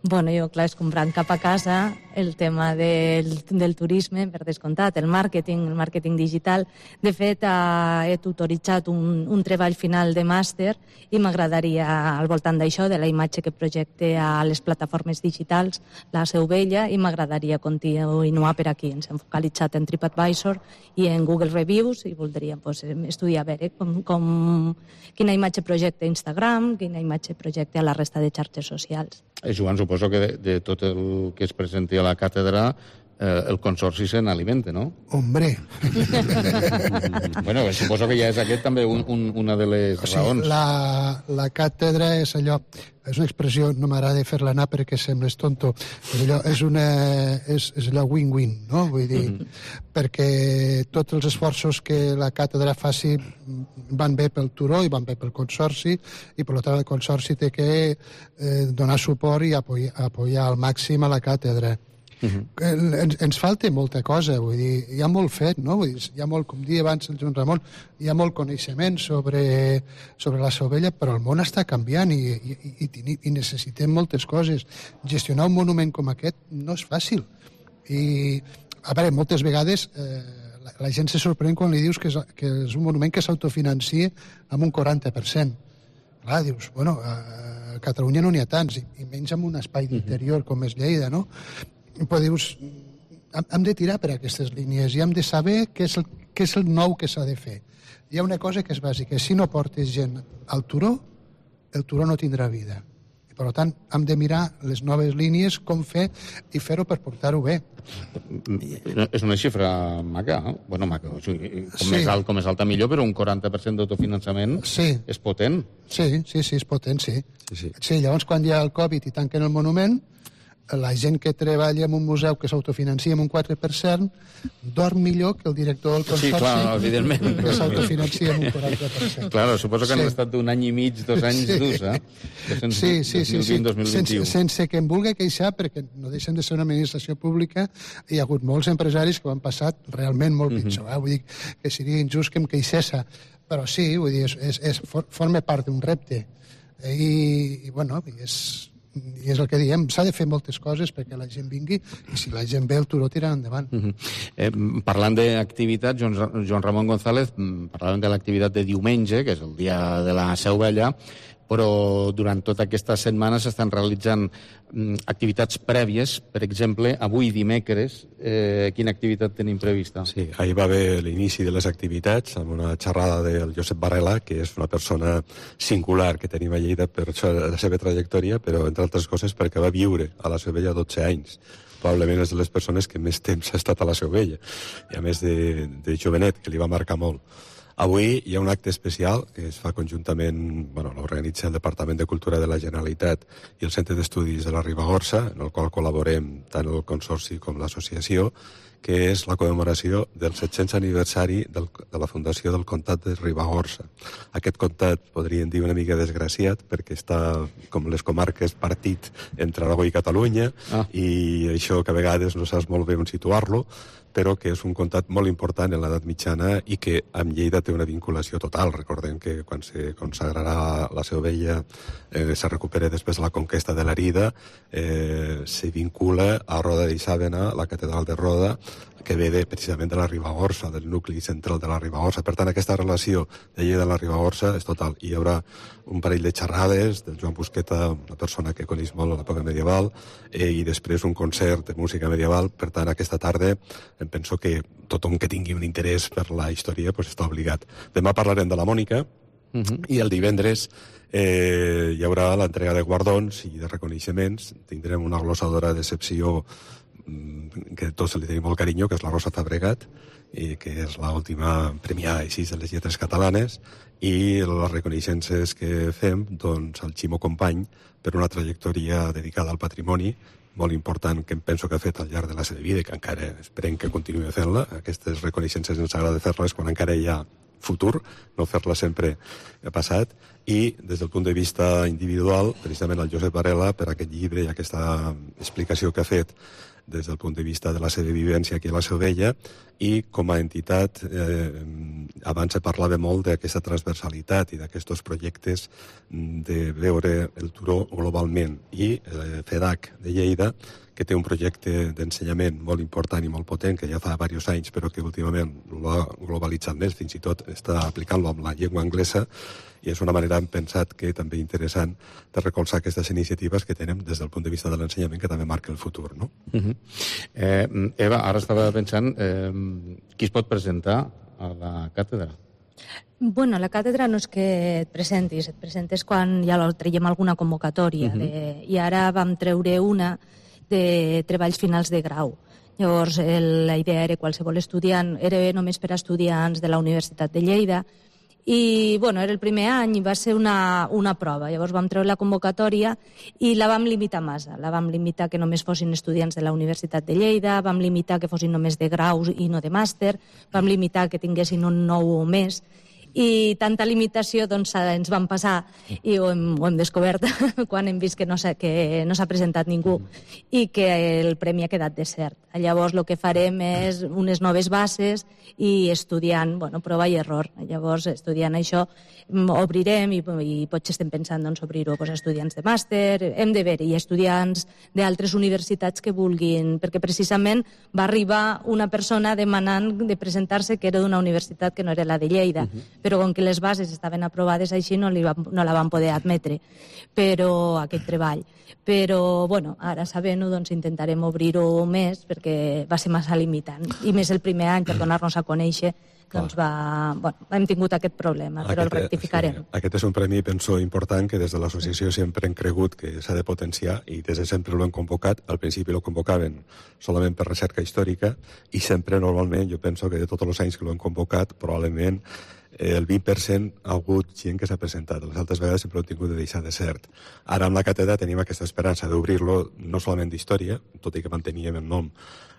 Bueno, jo, clar, és comprant cap a casa el tema del turisme, per descomptat, el màrqueting digital. De fet, he tutoritzat un treball final de màster i m'agradaria, al voltant d'això, de la imatge que projecte a les plataformes digitals, la Seu Vella, i m'agradaria continuar per aquí. Ens hem focalitzat en TripAdvisor i en Google Reviews i voldríem estudiar a veure quina imatge projecta Instagram, quina imatge projecta a la resta de xarxes socials. Joan, suposo que de tot el que es presenti a la càtedra el consorci se n'alimenta, no? Hombre! Bueno, suposo que ja és aquest també una de les raons. La càtedra és allò, és una expressió, no m'agrada fer-la anar perquè sembles tonto, però allò és allò win-win, no? Vull dir, perquè tots els esforços que la càtedra faci van bé pel turó i van bé pel consorci, i per tant el consorci té que donar suport i apoyar al màxim a la càtedra. Ens falta molta cosa, vull dir, hi ha molt fet, no? Vull dir, hi ha molt, com dia abans el Joan Ramon, hi ha molt coneixement sobre la Seu Vella, però el món està canviant i necessitem moltes coses. Gestionar un monument com aquest no és fàcil. I, a veure, moltes vegades la gent se sorprèn quan li dius que és un monument que s'autofinancie amb un 40%. Clar, dius, bueno, a Catalunya no n'hi ha tants, i menys amb un espai d'interior com és Lleida, no? Però dius, hem de tirar per aquestes línies i hem de saber què és el nou que s'ha de fer. Hi ha una cosa que és bàsica, si no portes gent al turó, el turó no tindrà vida. I per tant, hem de mirar les noves línies, com fer i fer-ho per portar-ho bé. És una xifra maca, eh? Bueno, maca, com més alta millor, però un 40% d'autofinançament és potent. Sí, és potent, sí. Llavors, quan hi ha el Covid i tanquen el monument, la gent que treballa en un museu que s'autofinancia amb un 4% dorm millor que el director del consorci, que s'autofinancia amb un 40%. Clar, suposo que han estat d'un any i mig, 2 anys durs, eh? Sí. 2020-2021. Sense que em vulgui queixar, perquè no deixen de ser una administració pública, hi ha hagut molts empresaris que ho han passat realment molt pitjor. Vull dir que seria injust que em queixés, però sí, vull dir, forma part d'un repte. I bueno, i és el que diem, s'ha de fer moltes coses perquè la gent vingui, i si la gent ve el turó tirant endavant. Parlant d'activitat, Joan Ramon González, parlàvem de l'activitat de diumenge, que és el dia de la Seu Vella, però durant tota aquesta setmana s'estan realitzant activitats prèvies. Per exemple, avui dimecres, quina activitat tenim prevista? Sí, ahir va haver l'inici de les activitats amb una xerrada del Josep Barrela, que és una persona singular que tenim a Lleida per la seva trajectòria, però entre altres coses perquè va viure a la Seu Vella 12 anys. Probablement és de les persones que més temps ha estat a la Seu Vella, i a més de jovenet, que li va marcar molt. Avui hi ha un acte especial que es fa conjuntament, l'organitza el Departament de Cultura de la Generalitat i el Centre d'Estudis de la Ribagorça, en el qual col·laborem tant el Consorci com l'associació, que és la commemoració del 700 aniversari de la fundació del comtat de Ribagorça. Aquest comtat podríem dir una mica desgraciat perquè està, com les comarques, partit entre Aragó i Catalunya, i això que a vegades no saps molt bé on situar-lo, però que és un comtat molt important en l'edat mitjana i que amb Lleida té una vinculació total. Recordem que quan se consagrarà la Seu Vella, se recupera després de la conquesta de l'Arida, se vincula a Roda d'Isàvena, la catedral de Roda, que ve precisament de la Ribagorça, del nucli central de la Ribagorça. Per tant, aquesta relació de Lleida a la Ribagorça és total. Hi haurà un parell de xerrades del Joan Busqueta, una persona que coneix molt l'època medieval, i després un concert de música medieval. Per tant, aquesta tarda em penso que tothom que tingui un interès per la història està obligat. Demà parlarem de la Mònica, i el divendres hi haurà l'entrega de guardons i de reconeixements. Tindrem una glossadora d'excepció que tots li tenim molt carinyo, que és la Rosa Fabregat, que és l'última premiada així de les lletres catalanes, i les reconeixences que fem al Ximo Company per una trajectòria dedicada al patrimoni molt important que em penso que ha fet al llarg de la seva vida i que encara esperem que continuï fent-la. Aquestes reconeixences ens agrada fer-les quan encara hi ha futur, no fer-la sempre passat. I des del punt de vista individual, precisament el Josep Varela, per aquest llibre i aquesta explicació que ha fet des del punt de vista de la seva vivència aquí a la Seu Vella, i com a entitat abans se parlava molt d'aquesta transversalitat i d'aquests projectes de veure el turó globalment, i FEDAC de Lleida, que té un projecte d'ensenyament molt important i molt potent, que ja fa diversos anys, però que últimament l'ha globalitzat més, fins i tot està aplicant-lo amb la llengua anglesa, i és una manera, hem pensat, que també interessant de recolzar aquestes iniciatives que tenem des del punt de vista de l'ensenyament, que també marca el futur, no? Eva, ara estava pensant, qui es pot presentar a la càtedra? Bueno, a la càtedra no és que et presentes quan ja traiem alguna convocatòria, i ara vam treure una de treballs finals de grau. Llavors, la idea era qualsevol estudiant, era només per a estudiants de la Universitat de Lleida, i bueno, era el primer any i va ser una prova. Llavors vam treure la convocatòria i la vam limitar massa. La vam limitar que només fossin estudiants de la Universitat de Lleida, vam limitar que fossin només de graus i no de màster, vam limitar que tinguessin un 9 o més, i tanta limitació doncs ens vam passar i ho hem descobert quan hem vist que no s'ha presentat ningú i que el premi ha quedat desert. Llavors el que farem és unes noves bases i estudiant, prova i error. Llavors, estudiant això, obrirem i potser estem pensant obrir-ho a estudiants de màster, hem de veure, i estudiants d'altres universitats que vulguin, perquè precisament va arribar una persona demanant de presentar-se que era d'una universitat que no era la de Lleida, però com que les bases estaven aprovades així no la van poder admetre, però aquest treball. Però, ara sabent-ho, intentarem obrir-ho més perquè va ser massa limitant. I més el primer any, per donar-nos a conèixer, hem tingut aquest problema, però el rectificarem. Aquest és un premi, penso, important, que des de l'associació sempre hem cregut que s'ha de potenciar, i des de sempre l'hem convocat. Al principi lo convocaven solament per recerca històrica, i sempre, normalment, jo penso que de tots els anys que l'hem convocat, probablement el 20% ha hagut gent que s'ha presentat. Les altres vegades sempre ho hem tingut de deixar desert. Ara amb la càtedra tenim aquesta esperança d'obrir-lo no solament d'història, tot i que manteníem el nom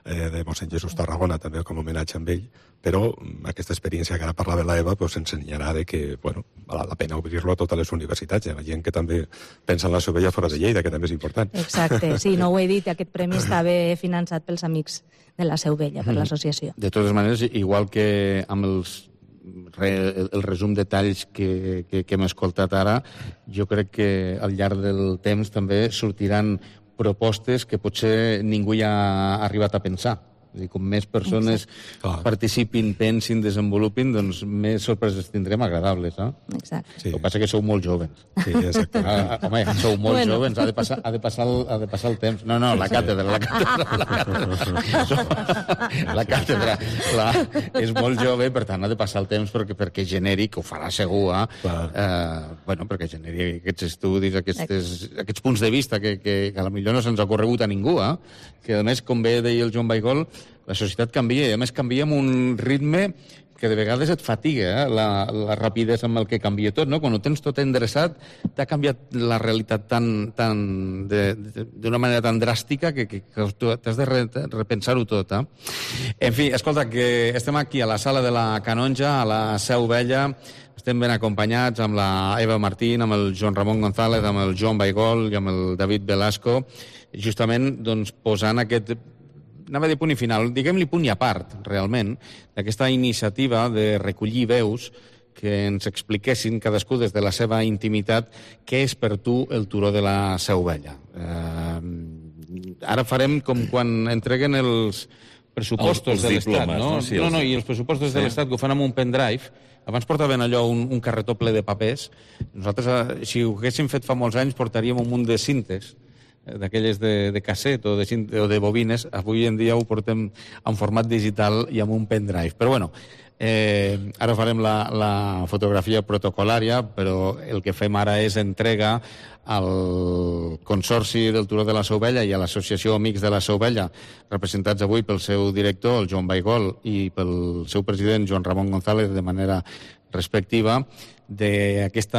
de mossèn Jesús Tarragona també com a homenatge amb ell, però aquesta experiència que ara parlava l'Eva ens ensenyarà que val la pena obrir-lo a totes les universitats, la gent que també pensa en la Seu Vella fora de Lleida, que també és important. Exacte, sí, no ho he dit, aquest premi estava finançat pels amics de la Seu Vella, per l'associació. De totes maneres, igual que amb el resum de talls que hem escoltat ara, jo crec que al llarg del temps també sortiran propostes que potser ningú ja ha arribat a pensar. Com més persones participin, pensin, desenvolupin, doncs més sorpreses tindrem agradables. Exacte. El que passa que sou molt jóvens. Sí, exacte. Home, sou molt jóvens, ha de passar el temps. No, la càtedra. La càtedra és molt jove, per tant ha de passar el temps perquè generi, que ho farà segur, perquè generi aquests estudis, aquests punts de vista que potser no se'ns ha corregut a ningú, que a més, com bé deia el Joan Baigol, la societat canvia, i a més canvia amb un ritme que de vegades et fatiga la rapidesa amb el que canvia tot, no? Quan ho tens tot endreçat, t'ha canviat la realitat d'una manera tan dràstica que t'has de repensar-ho tot. En fi, escolta, que estem aquí a la sala de la Canonja, a la Seu Vella, estem ben acompanyats amb la Eva Martín, amb el Joan Ramon González, amb el Joan Baigol i amb el David Velasco, justament posant aquest... Anava a dir punt i final, diguem-li punt i a part, realment, d'aquesta iniciativa de recollir veus que ens expliquessin cadascú des de la seva intimitat què és per tu el turó de la Seu Vella. Ara farem com quan entreguen els pressupostos de l'Estat, no? No, i els pressupostos de l'Estat que ho fan amb un pendrive. Abans portaven allò un carretó ple de papers. Nosaltres, si ho haguéssim fet fa molts anys, portaríem un munt de cintes, d'aquelles de casset o de bobines. Avui en dia ho portem en format digital i amb un pendrive. Però bueno, ara farem la fotografia protocolària, però el que fem ara és entrega al Consorci del Turó de la Seu Vella i a l'Associació Amics de la Seu Vella, representats avui pel seu director, el Joan Baigol, i pel seu president, Joan Ramon González, de manera respectiva, d'aquest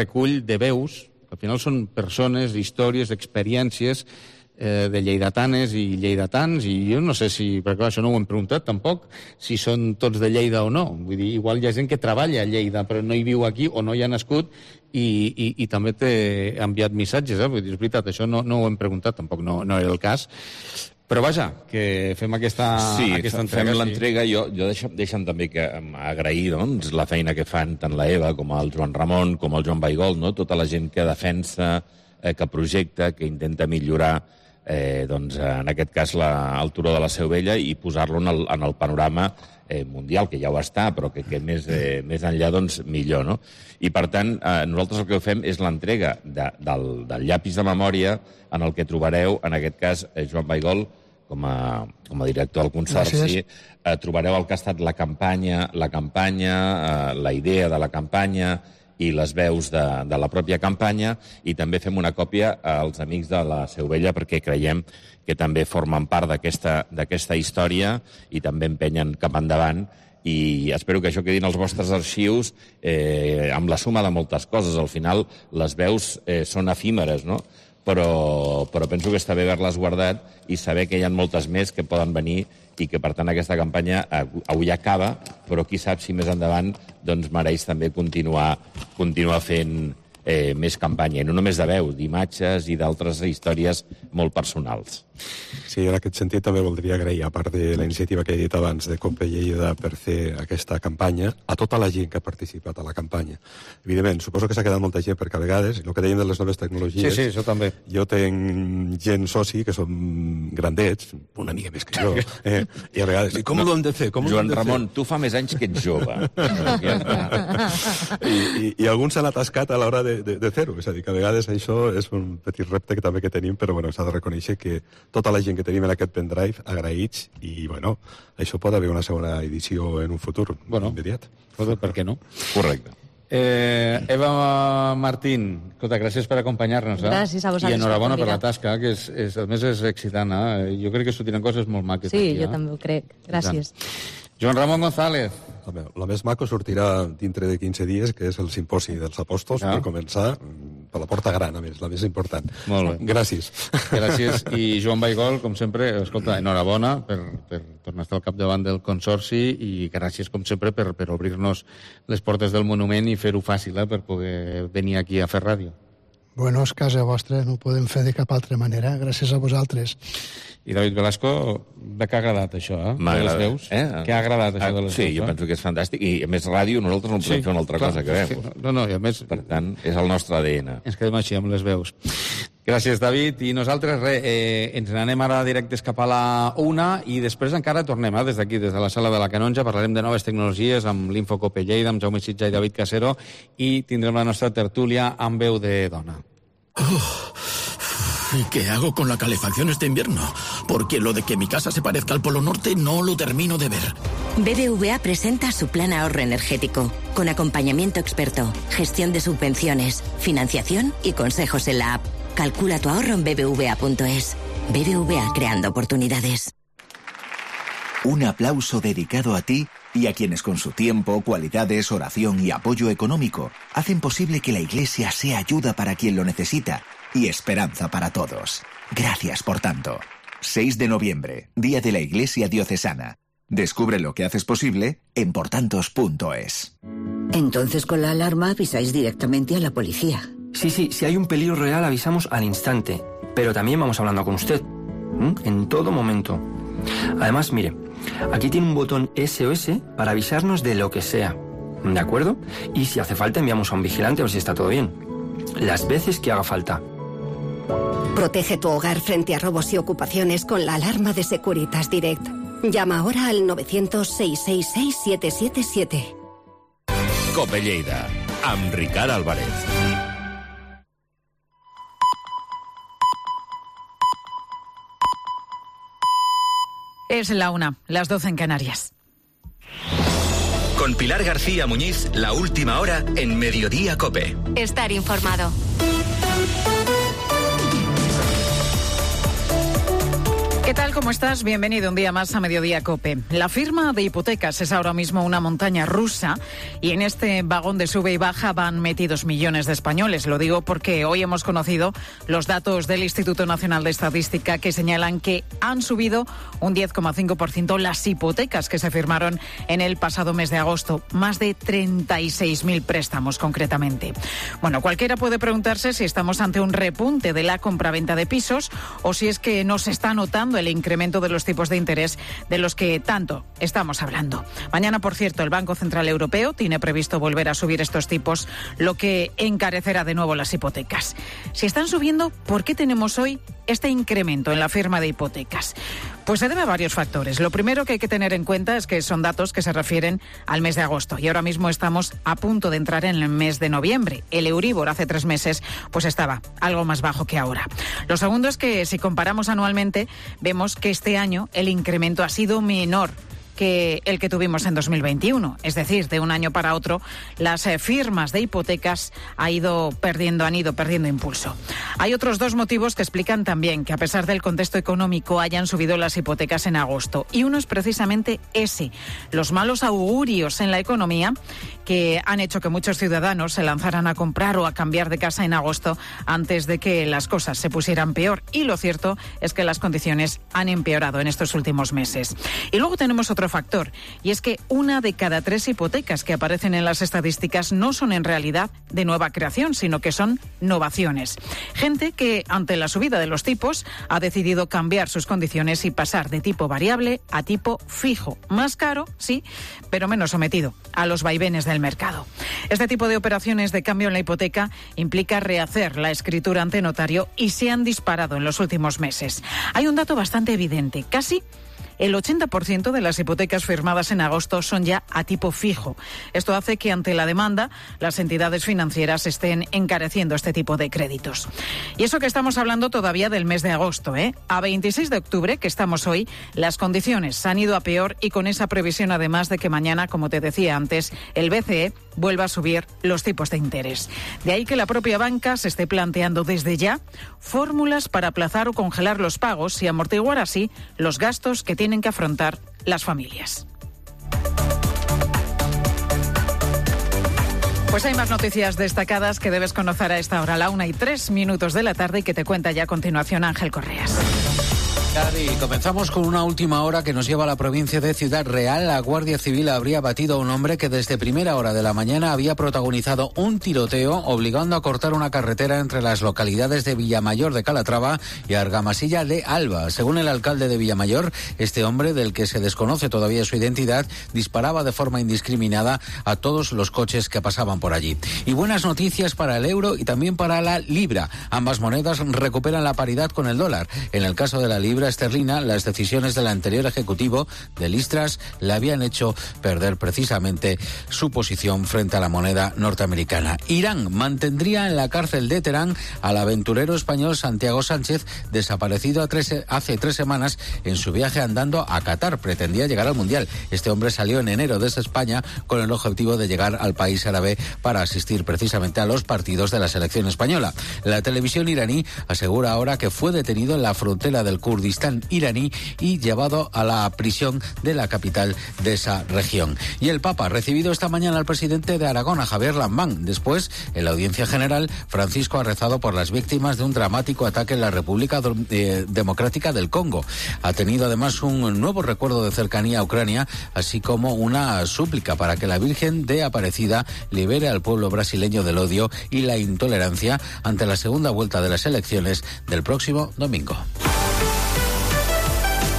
recull de veus. Al final són persones, històries, experiències de lleidatanes i lleidatans, i jo no sé si, perquè clar, això no ho hem preguntat tampoc, si són tots de Lleida o no. Vull dir, igual hi ha gent que treballa a Lleida però no hi viu aquí o no hi ha nascut i també t'he enviat missatges, Vull dir, és veritat, això no ho hem preguntat, tampoc no era el cas. Però vaja, que fem aquesta entrega. Sí, fem l'entrega. Jo deixa'm també agrair la feina que fan tant la Eva com el Joan Ramon, com el Joan Baigol, tota la gent que defensa, que projecta, que intenta millorar, en aquest cas, el Turó de la Seu Vella i posar-lo en el panorama mundial, que ja ho està, però que més enllà, millor, no? I, per tant, nosaltres el que fem és l'entrega del llapis de memòria en el que trobareu, en aquest cas, Joan Baigol, com a director del Consorci, trobareu el que ha estat la campanya, la idea de la campanya i les veus de la pròpia campanya, i també fem una còpia als amics de la Seu Vella perquè creiem que també formen part d'aquesta història i també empenyen cap endavant, i espero que això quedi en els vostres arxius amb la suma de moltes coses. Al final, les veus són efímeres, no? Però penso que està bé haver-les guardat i saber que hi ha moltes més que poden venir i que, per tant, aquesta campanya avui acaba, però qui sap si més endavant mereix també continuar fent més campanya, i no només de veus, d'imatges i d'altres històries molt personals. Sí, en aquest sentit també voldria agrair, a part de la iniciativa que he dit abans de Cope Lleida per fer aquesta campanya, a tota la gent que ha participat a la campanya. Evidentment, suposo que s'ha quedat molta gent perquè a vegades, el que dèiem de les noves tecnologies... Sí, això també. Jo tenc gent soci que són grandets, una mica més que jo, i a vegades, com ho hem de fer? Joan Ramon, tu fa més anys que ets jove. I alguns s'han atascat a l'hora de fer-ho, és a dir, que a vegades això és un petit repte que també tenim, però bueno, s'ha de reconèixer que tota la gent que tenim en aquest pendrive, agraïts, i bueno, això pot haver una segona edició en un futur immediat. Per què no? Correcte. Eva Martín, escolta, gràcies per acompanyar-nos. Gràcies a vosaltres. I enhorabona per la tasca, que a més és excitant. Jo crec que sortiran coses molt maques. Sí, jo també ho crec. Gràcies. Joan Ramon González. La més maco sortirà dintre de 15 dies, que és el Simposi dels Apòstols, per començar, per la porta gran, a més, la més important. Molt bé. Gràcies. Gràcies. I Joan Baigol, com sempre, escolta, enhorabona per tornar a estar al capdavant del Consorci, i gràcies, com sempre, per obrir-nos les portes del monument i fer-ho fàcil per poder venir aquí a fer ràdio. Bueno, és casa vostra, no ho podem fer de cap altra manera. Gràcies a vosaltres. I David Velasco, de què ha agradat això, M'ha agradat. Què ha agradat això de les veus? Sí, jo penso que és fantàstic. I a més, ràdio, nosaltres no podem fer una altra cosa que veus. No, i a més... Per tant, és el nostre ADN. Ens quedem així, amb les veus. Gràcies, David. I nosaltres, ens n'anem ara directes cap a la 1 i després encara tornem, des d'aquí, des de la sala de la Canonja, parlarem de noves tecnologies amb l'Infocope Lleida, amb Jaume Sitjà i David Casero, i tindrem la nostra tertúlia amb veu de dona. ¿Y qué hago con la calefacción este invierno? Porque lo de que mi casa se parezca al Polo Norte no lo termino de ver. BBVA presenta su plan ahorro energético, con acompañamiento experto, gestión de subvenciones, financiación y consejos en la app. Calcula tu ahorro en bbva.es. BBVA, creando oportunidades. Un aplauso dedicado a ti y a quienes con su tiempo, cualidades, oración y apoyo económico hacen posible que la Iglesia sea ayuda para quien lo necesita y esperanza para todos. Gracias por tanto. 6 de noviembre, Día de la Iglesia Diocesana. Descubre lo que haces posible en portantos.es. Entonces con la alarma avisáis directamente a la policía. Sí, si hay un peligro real avisamos al instante, pero también vamos hablando con usted, en todo momento. Además, mire, aquí tiene un botón SOS para avisarnos de lo que sea, ¿de acuerdo? Y si hace falta enviamos a un vigilante a ver si está todo bien. Las veces que haga falta. Protege tu hogar frente a robos y ocupaciones con la alarma de Securitas Direct. Llama ahora al 900-666-777. Cope Lleida, amb Ricard Álvarez. Es la 1, las 12 en Canarias. Con Pilar García Muñiz, la última hora en Mediodía Cope. Estar informado. ¿Qué tal? ¿Cómo estás? Bienvenido un día más a Mediodía Cope. La firma de hipotecas es ahora mismo una montaña rusa y en este vagón de sube y baja van metidos millones de españoles. Lo digo porque hoy hemos conocido los datos del Instituto Nacional de Estadística que señalan que han subido un 10,5% las hipotecas que se firmaron en el pasado mes de agosto. Más de 36.000 préstamos concretamente. Bueno, cualquiera puede preguntarse si estamos ante un repunte de la compraventa de pisos o si es que no se está notando el incremento de los tipos de interés de los que tanto estamos hablando. Mañana, por cierto, el Banco Central Europeo tiene previsto volver a subir estos tipos, lo que encarecerá de nuevo las hipotecas. Si están subiendo, ¿por qué tenemos hoy este incremento en la firma de hipotecas? Pues se debe a varios factores. Lo primero que hay que tener en cuenta es que son datos que se refieren al mes de agosto y ahora mismo estamos a punto de entrar en el mes de noviembre. El Euribor hace 3 meses pues estaba algo más bajo que ahora. Lo segundo es que si comparamos anualmente vemos que este año el incremento ha sido menor que el que tuvimos en 2021. Es decir, de un año para otro, las firmas de hipotecas han ido perdiendo impulso. Hay otros 2 motivos que explican también que a pesar del contexto económico hayan subido las hipotecas en agosto. Y uno es precisamente ese, los malos augurios en la economía que han hecho que muchos ciudadanos se lanzaran a comprar o a cambiar de casa en agosto antes de que las cosas se pusieran peor. Y lo cierto es que las condiciones han empeorado en estos últimos meses. Y luego tenemos otro factor, y es que 1 de cada 3 hipotecas que aparecen en las estadísticas no son en realidad de nueva creación, sino que son novaciones. Gente que, ante la subida de los tipos, ha decidido cambiar sus condiciones y pasar de tipo variable a tipo fijo. Más caro, sí, pero menos sometido a los vaivenes del mercado. Este tipo de operaciones de cambio en la hipoteca implica rehacer la escritura ante notario y se han disparado en los últimos meses. Hay un dato bastante evidente, casi el 80% de las hipotecas firmadas en agosto son ya a tipo fijo. Esto hace que ante la demanda las entidades financieras estén encareciendo este tipo de créditos. Y eso que estamos hablando todavía del mes de agosto, ¿eh? A 26 de octubre, que estamos hoy, las condiciones han ido a peor y con esa previsión además de que mañana, como te decía antes, el BCE vuelva a subir los tipos de interés. De ahí que la propia banca se esté planteando desde ya fórmulas para aplazar o congelar los pagos y amortiguar así los gastos que tienen que afrontar las familias. Pues hay más noticias destacadas que debes conocer a esta hora, a la 1:03 de la tarde, y que te cuenta ya a continuación Ángel Correas. Y comenzamos con una última hora que nos lleva a la provincia de Ciudad Real. La Guardia Civil habría batido a un hombre que desde primera hora de la mañana había protagonizado un tiroteo obligando a cortar una carretera entre las localidades de Villamayor de Calatrava y Argamasilla de Alba. Según el alcalde de Villamayor, este hombre, del que se desconoce todavía su identidad, disparaba de forma indiscriminada a todos los coches que pasaban por allí. Y buenas noticias para el euro y también para la libra. Ambas monedas recuperan la paridad con el dólar. En el caso de la libra esterlina, las decisiones del anterior ejecutivo de Liz Truss le habían hecho perder precisamente su posición frente a la moneda norteamericana. Irán mantendría en la cárcel de Teherán al aventurero español Santiago Sánchez, desaparecido hace 3 semanas en su viaje andando a Qatar. Pretendía llegar al Mundial. Este hombre salió en enero desde España con el objetivo de llegar al país árabe para asistir precisamente a los partidos de la selección española. La televisión iraní asegura ahora que fue detenido en la frontera del Kurdistán Kurdistán iraní y llevado a la prisión de la capital de esa región. Y el Papa ha recibido esta mañana al presidente de Aragón, a Javier Lambán. Después, en la audiencia general, Francisco ha rezado por las víctimas de un dramático ataque en la República Democrática del Congo. Ha tenido además un nuevo recuerdo de cercanía a Ucrania, así como una súplica para que la Virgen de Aparecida libere al pueblo brasileño del odio y la intolerancia ante la segunda vuelta de las elecciones del próximo domingo.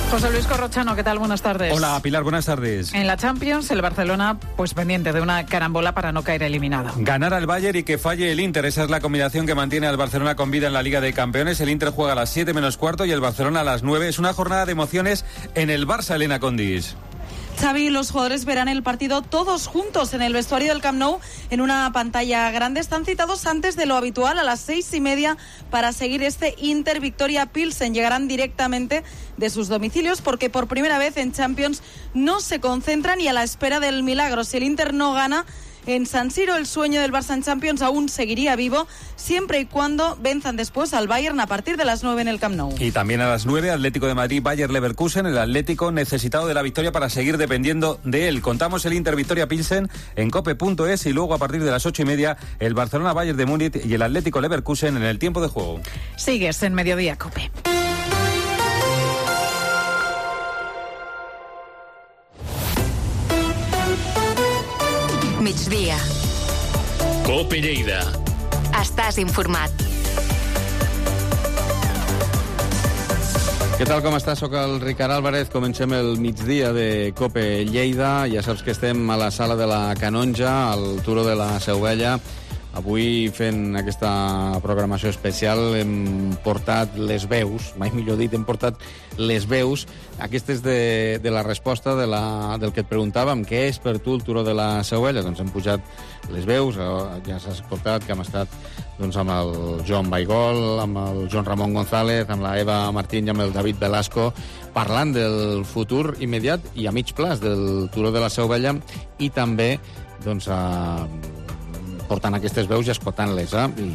José Luis Corrochano, ¿qué tal? Buenas tardes. Hola, Pilar, buenas tardes. En la Champions, el Barcelona, pues pendiente de una carambola para no caer eliminado. Ganar al Bayern y que falle el Inter, esa es la combinación que mantiene al Barcelona con vida en la Liga de Campeones. El Inter juega a las 7 menos cuarto y el Barcelona a las 9. Es una jornada de emociones en el Barça, Elena Condis. Xavi y los jugadores verán el partido todos juntos en el vestuario del Camp Nou en una pantalla grande. Están citados antes de lo habitual a las 6:30 para seguir este Inter Victoria Pilsen. Llegarán directamente de sus domicilios porque por primera vez en Champions no se concentran y a la espera del milagro. Si el Inter no gana en San Siro, el sueño del Barça en Champions aún seguiría vivo, siempre y cuando venzan después al Bayern a partir de las 9 en el Camp Nou. Y también a las 9, Atlético de Madrid, Bayer Leverkusen, el Atlético necesitado de la victoria para seguir dependiendo de él. Contamos el Inter Victoria Pilsen en cope.es y luego a partir de las 8:30 el Barcelona Bayern de Múnich y el Atlético Leverkusen en el tiempo de juego. Sigues en Mediodía Cope. Migdia. Cope Lleida. Estàs informat. Què tal, com estàs? Soc el Ricard Álvarez. Comencem el migdia de Cope Lleida. Ja saps que estem a la sala de la Canonja, al Turó de la Seu Vella. Avui, fent aquesta programació especial, hem portat les veus, mai millor dit, hem portat les veus, aquestes de la resposta del que et preguntàvem, què és per tu el Turó de la Seu Vella? Doncs hem pujat les veus, ja s'ha escoltat que hem estat amb el Joan Baigol, amb el Joan Ramon González, amb la Eva Martín i amb el David Velasco, parlant del futur immediat i a mig plaç del Turó de la Seu Vella i també, portant aquestes veus i escoltant-les, i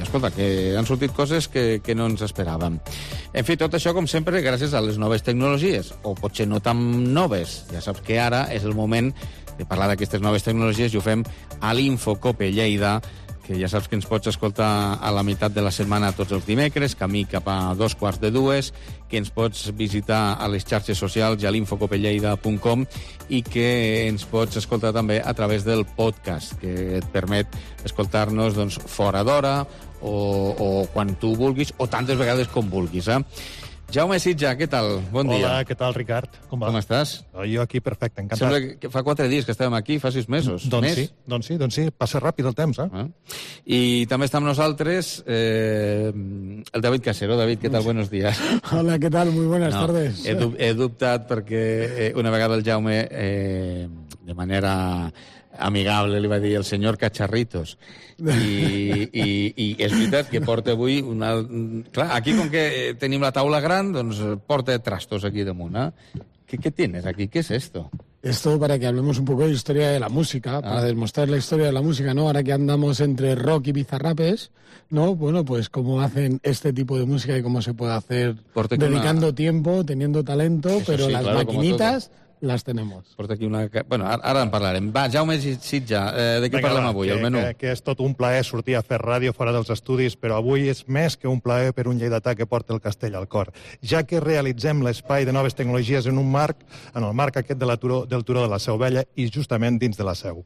escolta, que han sortit coses que no ens esperàvem. En fi, tot això, com sempre, gràcies a les noves tecnologies, o potser no tan noves. Ja saps que ara és el moment de parlar d'aquestes noves tecnologies i ho fem a l'Infocope Lleida, que ja saps que ens pots escoltar a la meitat de la setmana tots els dimecres, camí cap a 2:45, que ens pots visitar a les xarxes socials i a l'infocopelleida.com i que ens pots escoltar també a través del podcast, que et permet escoltar-nos fora d'hora o quan tu vulguis o tantes vegades com vulguis. Jaume Sitja, què tal? Bon dia. Hola, què tal, Ricard? Com va? Com estàs? Jo aquí perfecte, encantat. Sembla que fa 4 dies que estàvem aquí, fa 6 mesos. Doncs sí, passa ràpid el temps, I també està amb nosaltres el David Casero. David, què tal? Buenos días. Hola, què tal? Muy buenas tardes. He dubtat perquè una vegada el Jaume, de manera amigable, li va dir el senyor Cacharritos. I és veritat que porta avui una... Clar, aquí com que tenim la taula gran, doncs porta trastos aquí damunt, ¿Qué tienes aquí? ¿Qué es esto? Esto para que hablemos un poco de historia de la música, para demostrar la historia de la música, ¿no? Ahora que andamos entre rock y bizarrapes, ¿no? Bueno, pues cómo hacen este tipo de música y cómo se puede hacer dedicando tiempo, teniendo talento, eso pero sí, las maquinitas... les tenemos. Porta aquí una... Bueno, ara en parlarem. Va, Jaume Sitja, de què parlem avui, el menú? Que és tot un plaer sortir a fer ràdio fora dels estudis, però avui és més que un plaer per un lleidatà que porta el castell al cor, ja que realitzem l'espai de noves tecnologies en el marc aquest del Turó de la Seu Vella i justament dins de la Seu.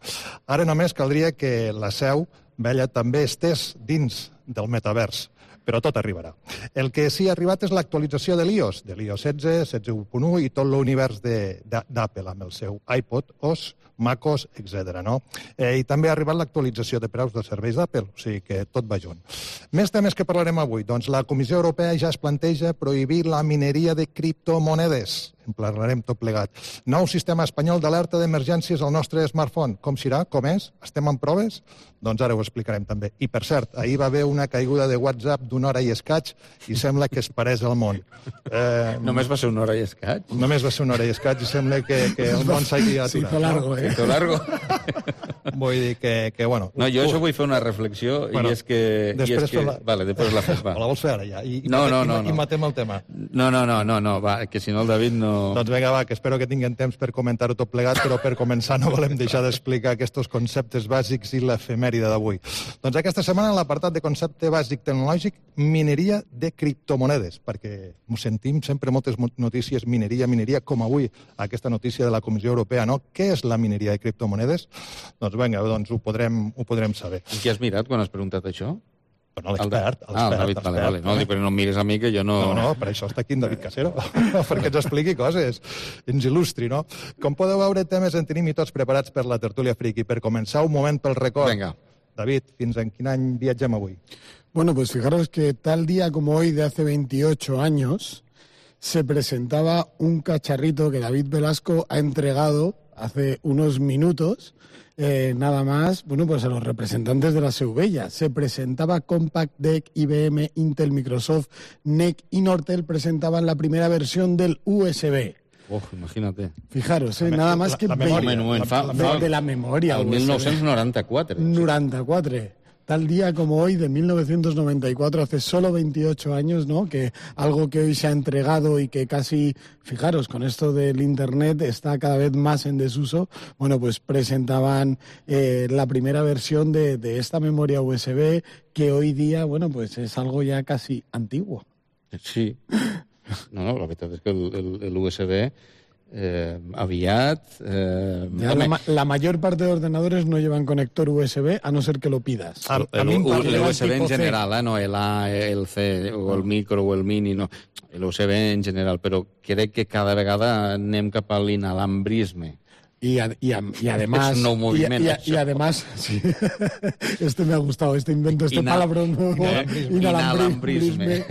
Ara només caldria que la Seu Vella també estés dins del metavers, però tot arribarà. El que sí ha arribat és l'actualització de l'iOS 16, 16.1 i tot l'univers d'Apple amb el seu iPod, OS, MacOS, etc. I també ha arribat l'actualització de preus dels serveis d'Apple, o sigui que tot va junt. Més temes que parlarem avui. Doncs la Comissió Europea ja es planteja prohibir la mineria de criptomonedes. en parlarem tot plegat. Nou sistema espanyol d'alerta d'emergències al nostre smartphone. Com serà? Com és? Estem en proves? Doncs ara ho explicarem també. I, per cert, ahir va haver una caiguda de WhatsApp d'una hora i escaig i sembla que es pareix al món. Només va ser una hora i escaig? Només va ser una hora i escaig i sembla que el món s'hagi aturat. Se hizo largo, Se hizo largo. Vull dir que bueno... No, jo això vull fer una reflexió i és que... Vale, després la fes, va. O la vols fer ara ja? No. I matem el tema. No, va, que si no el David no... Doncs vinga, va, que espero que tinguem temps per comentar-ho tot plegat, però per començar no volem deixar d'explicar aquests conceptes bàsics i l'efemèride d'avui. Doncs aquesta setmana, en l'apartat de concepte bàsic tecnològic, mineria de criptomonedes, perquè ho sentim sempre moltes notícies, mineria, com avui aquesta notícia de la Comissió Europea, no? Què és la mineria de criptomonedes? Doncs vinga, ho podrem saber. Qui has mirat quan has preguntat això? No, l'expert. El David, vale. No, però no em mires a mi, que jo no... No, per això està aquí en David Casero, perquè ens expliqui coses, ens il·lustri, no? Com podeu veure, temes en tenim i tots preparats per la tertúlia friki. Per començar, un moment pel record. Vinga. David, fins en quin any viatgem avui? Bueno, pues fijaros que tal día como hoy de hace 28 años se presentaba un cacharrito que David Velasco ha entregado hace unos minutos, nada más, bueno, pues a los representantes de la Seubella. Se presentaba Compact Deck, IBM, Intel, Microsoft, NEC y Nortel presentaban la primera versión del USB. Imagínate. Fijaros, nada más que... de la memoria. El 1994. 94. Tal día como hoy, de 1994, hace solo 28 años, ¿no? Que algo que hoy se ha entregado y que casi, fijaros, con esto del Internet está cada vez más en desuso, bueno, pues presentaban la primera versión de esta memoria USB que hoy día, bueno, pues es algo ya casi antiguo. Sí. No, la veritat és que el USB aviat... La mayor parte de ordenadores no llevan conector USB, a no ser que lo pidas. El USB en general, no el A, el C, o el micro o el mini, no. El USB en general, però crec que cada vegada anem cap a l'inalambrisme. Y además... Es un nou moviment, y además, sí, este me ha gustado, este invento, palabra nuevo. Inalambrisme.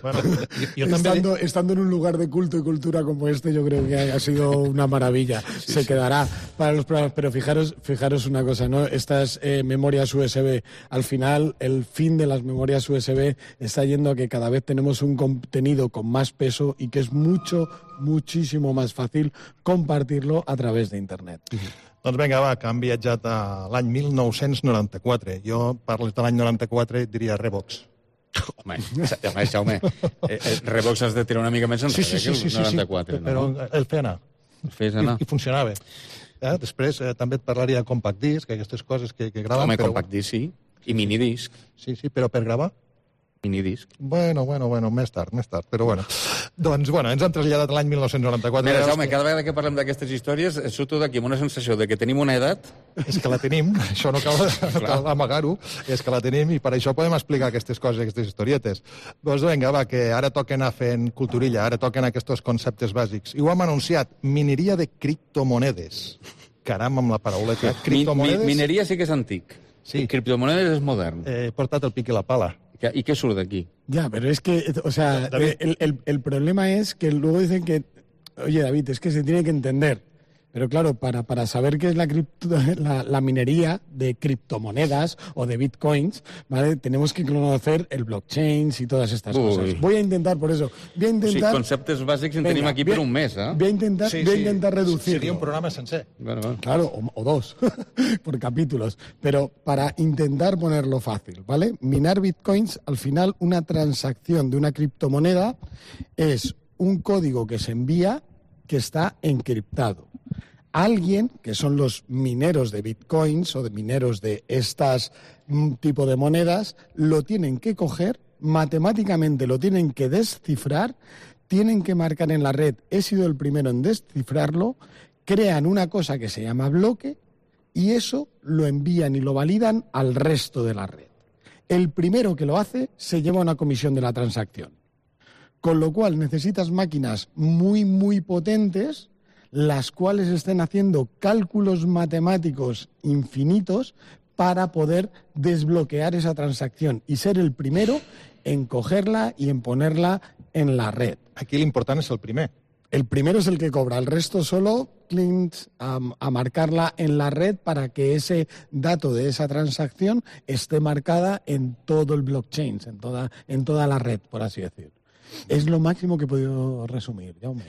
Bueno, estando en un lugar de culto y cultura como este, yo creo que ha sido una maravilla. Se quedará para los programas. Pero fijaros una cosa, ¿no? Estas memorias USB, al final, el fin de las memorias USB está yendo a que cada vez tenemos un contenido con más peso y que es muchísimo más fácil compartirlo a través de Internet. Doncs vinga, va, que han viatjat a l'any 1994. Jo parles de l'any 94 i diria Revox. Home, Jaume, Revox has de tirar una mica més enrere que el 94. Sí, però el feia anar. I funcionava. Després també et parlaria de Compact Disc, aquestes coses que graven. Home, Compact Disc, sí. I minidisc. Sí, però per gravar? Minidisc. Bueno, més tard, però bueno. Doncs, ens han traslladat l'any 1994. Mira, Jaume, cada vegada que parlem d'aquestes històries surto d'aquí amb una sensació de que tenim una edat... És que la tenim, això no cal amagar-ho, és que la tenim i per això podem explicar aquestes coses, aquestes historietes. Doncs vinga, va, que ara toquen anar fent culturilla, ara toquen aquests conceptes bàsics. I ho hem anunciat, mineria de criptomonedes. Caram, amb la parauleta. Criptomonedes... Mineria sí que és antic. Sí. Criptomonedes és modern. He portat el pic i la pala. ¿Y qué surt aquí? Ya, pero es que, o sea, el problema es que luego dicen que, oye, David, es que se tiene que entender. Pero claro, para saber qué es la minería de criptomonedas o de bitcoins, ¿vale? Tenemos que conocer el blockchain y todas estas cosas. Voy a intentar, por eso, Sí, conceptes bàsics en tenim aquí per un mes, ¿eh? Voy a intentar reducirlo. Sería un programa sencer. Bueno. Claro, o dos, por capítulos. Pero para intentar ponerlo fácil, ¿vale? Minar bitcoins, al final, una transacción de una criptomoneda es un código que se envía que está encriptado. Alguien, que son los mineros de bitcoins o de mineros de estas tipo de monedas, lo tienen que coger, matemáticamente lo tienen que descifrar, tienen que marcar en la red, he sido el primero en descifrarlo, crean una cosa que se llama bloque y eso lo envían y lo validan al resto de la red. El primero que lo hace se lleva una comisión de la transacción. Con lo cual necesitas máquinas muy potentes, las cuales estén haciendo cálculos matemáticos infinitos para poder desbloquear esa transacción y ser el primero en cogerla y en ponerla en la red. Aquí l'important és el primer. El primero es el que cobra, el resto solo a marcarla en la red para que ese dato de esa transacción esté marcada en todo el blockchain, en toda la red, por así decir. És lo máximo que he podido resumir, Jaume.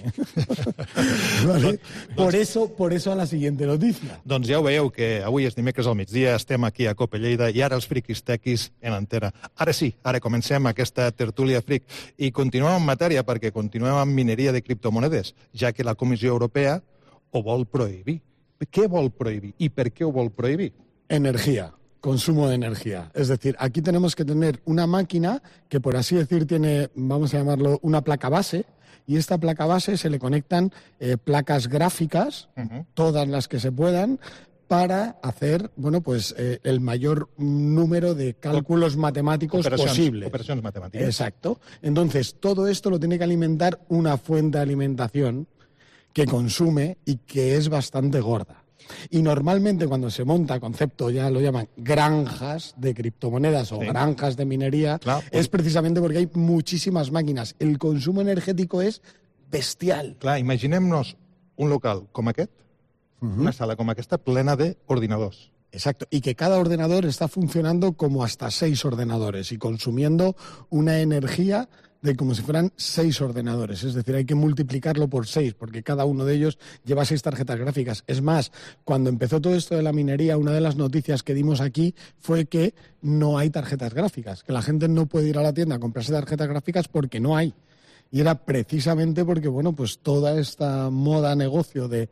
Vale? Por eso a la siguiente notícia. Doncs ja ho veieu, que avui és dimecres al migdia, estem aquí a Cope Lleida i ara els friquis tequis en antena. Ara sí, ara comencem aquesta tertúlia fric i continuem en matèria perquè continuem amb mineria de criptomonedes, ja que la Comissió Europea ho vol prohibir. Què vol prohibir i per què ho vol prohibir? Energía. Consumo de energía. Es decir, aquí tenemos que tener una máquina que, por así decir, tiene, vamos a llamarlo, una placa base, y esta placa base se le conectan placas gráficas, todas las que se puedan, para hacer, bueno, pues el mayor número de cálculos matemáticos posibles. Operaciones matemáticas. Exacto. Entonces, todo esto lo tiene que alimentar una fuente de alimentación que consume y que es bastante gorda. Y normalmente cuando se monta concepto, ya lo llaman granjas de criptomonedas o granjas de minería, es precisamente porque hay muchísimas máquinas. El consumo energético es bestial. Clar, imaginem-nos un local com aquest, una sala com aquesta, plena d'ordinadors. Exacto, y que cada ordenador está funcionando como hasta 6 ordenadores y consumiendo una energía de como si fueran 6 ordenadores. Es decir, hay que multiplicarlo por 6, porque cada uno de ellos lleva 6 tarjetas gráficas. Es más, cuando empezó todo esto de la minería, una de las noticias que dimos aquí fue que no hay tarjetas gráficas, que la gente no puede ir a la tienda a comprarse tarjetas gráficas porque no hay. Y era precisamente porque, bueno, pues toda esta moda negocio de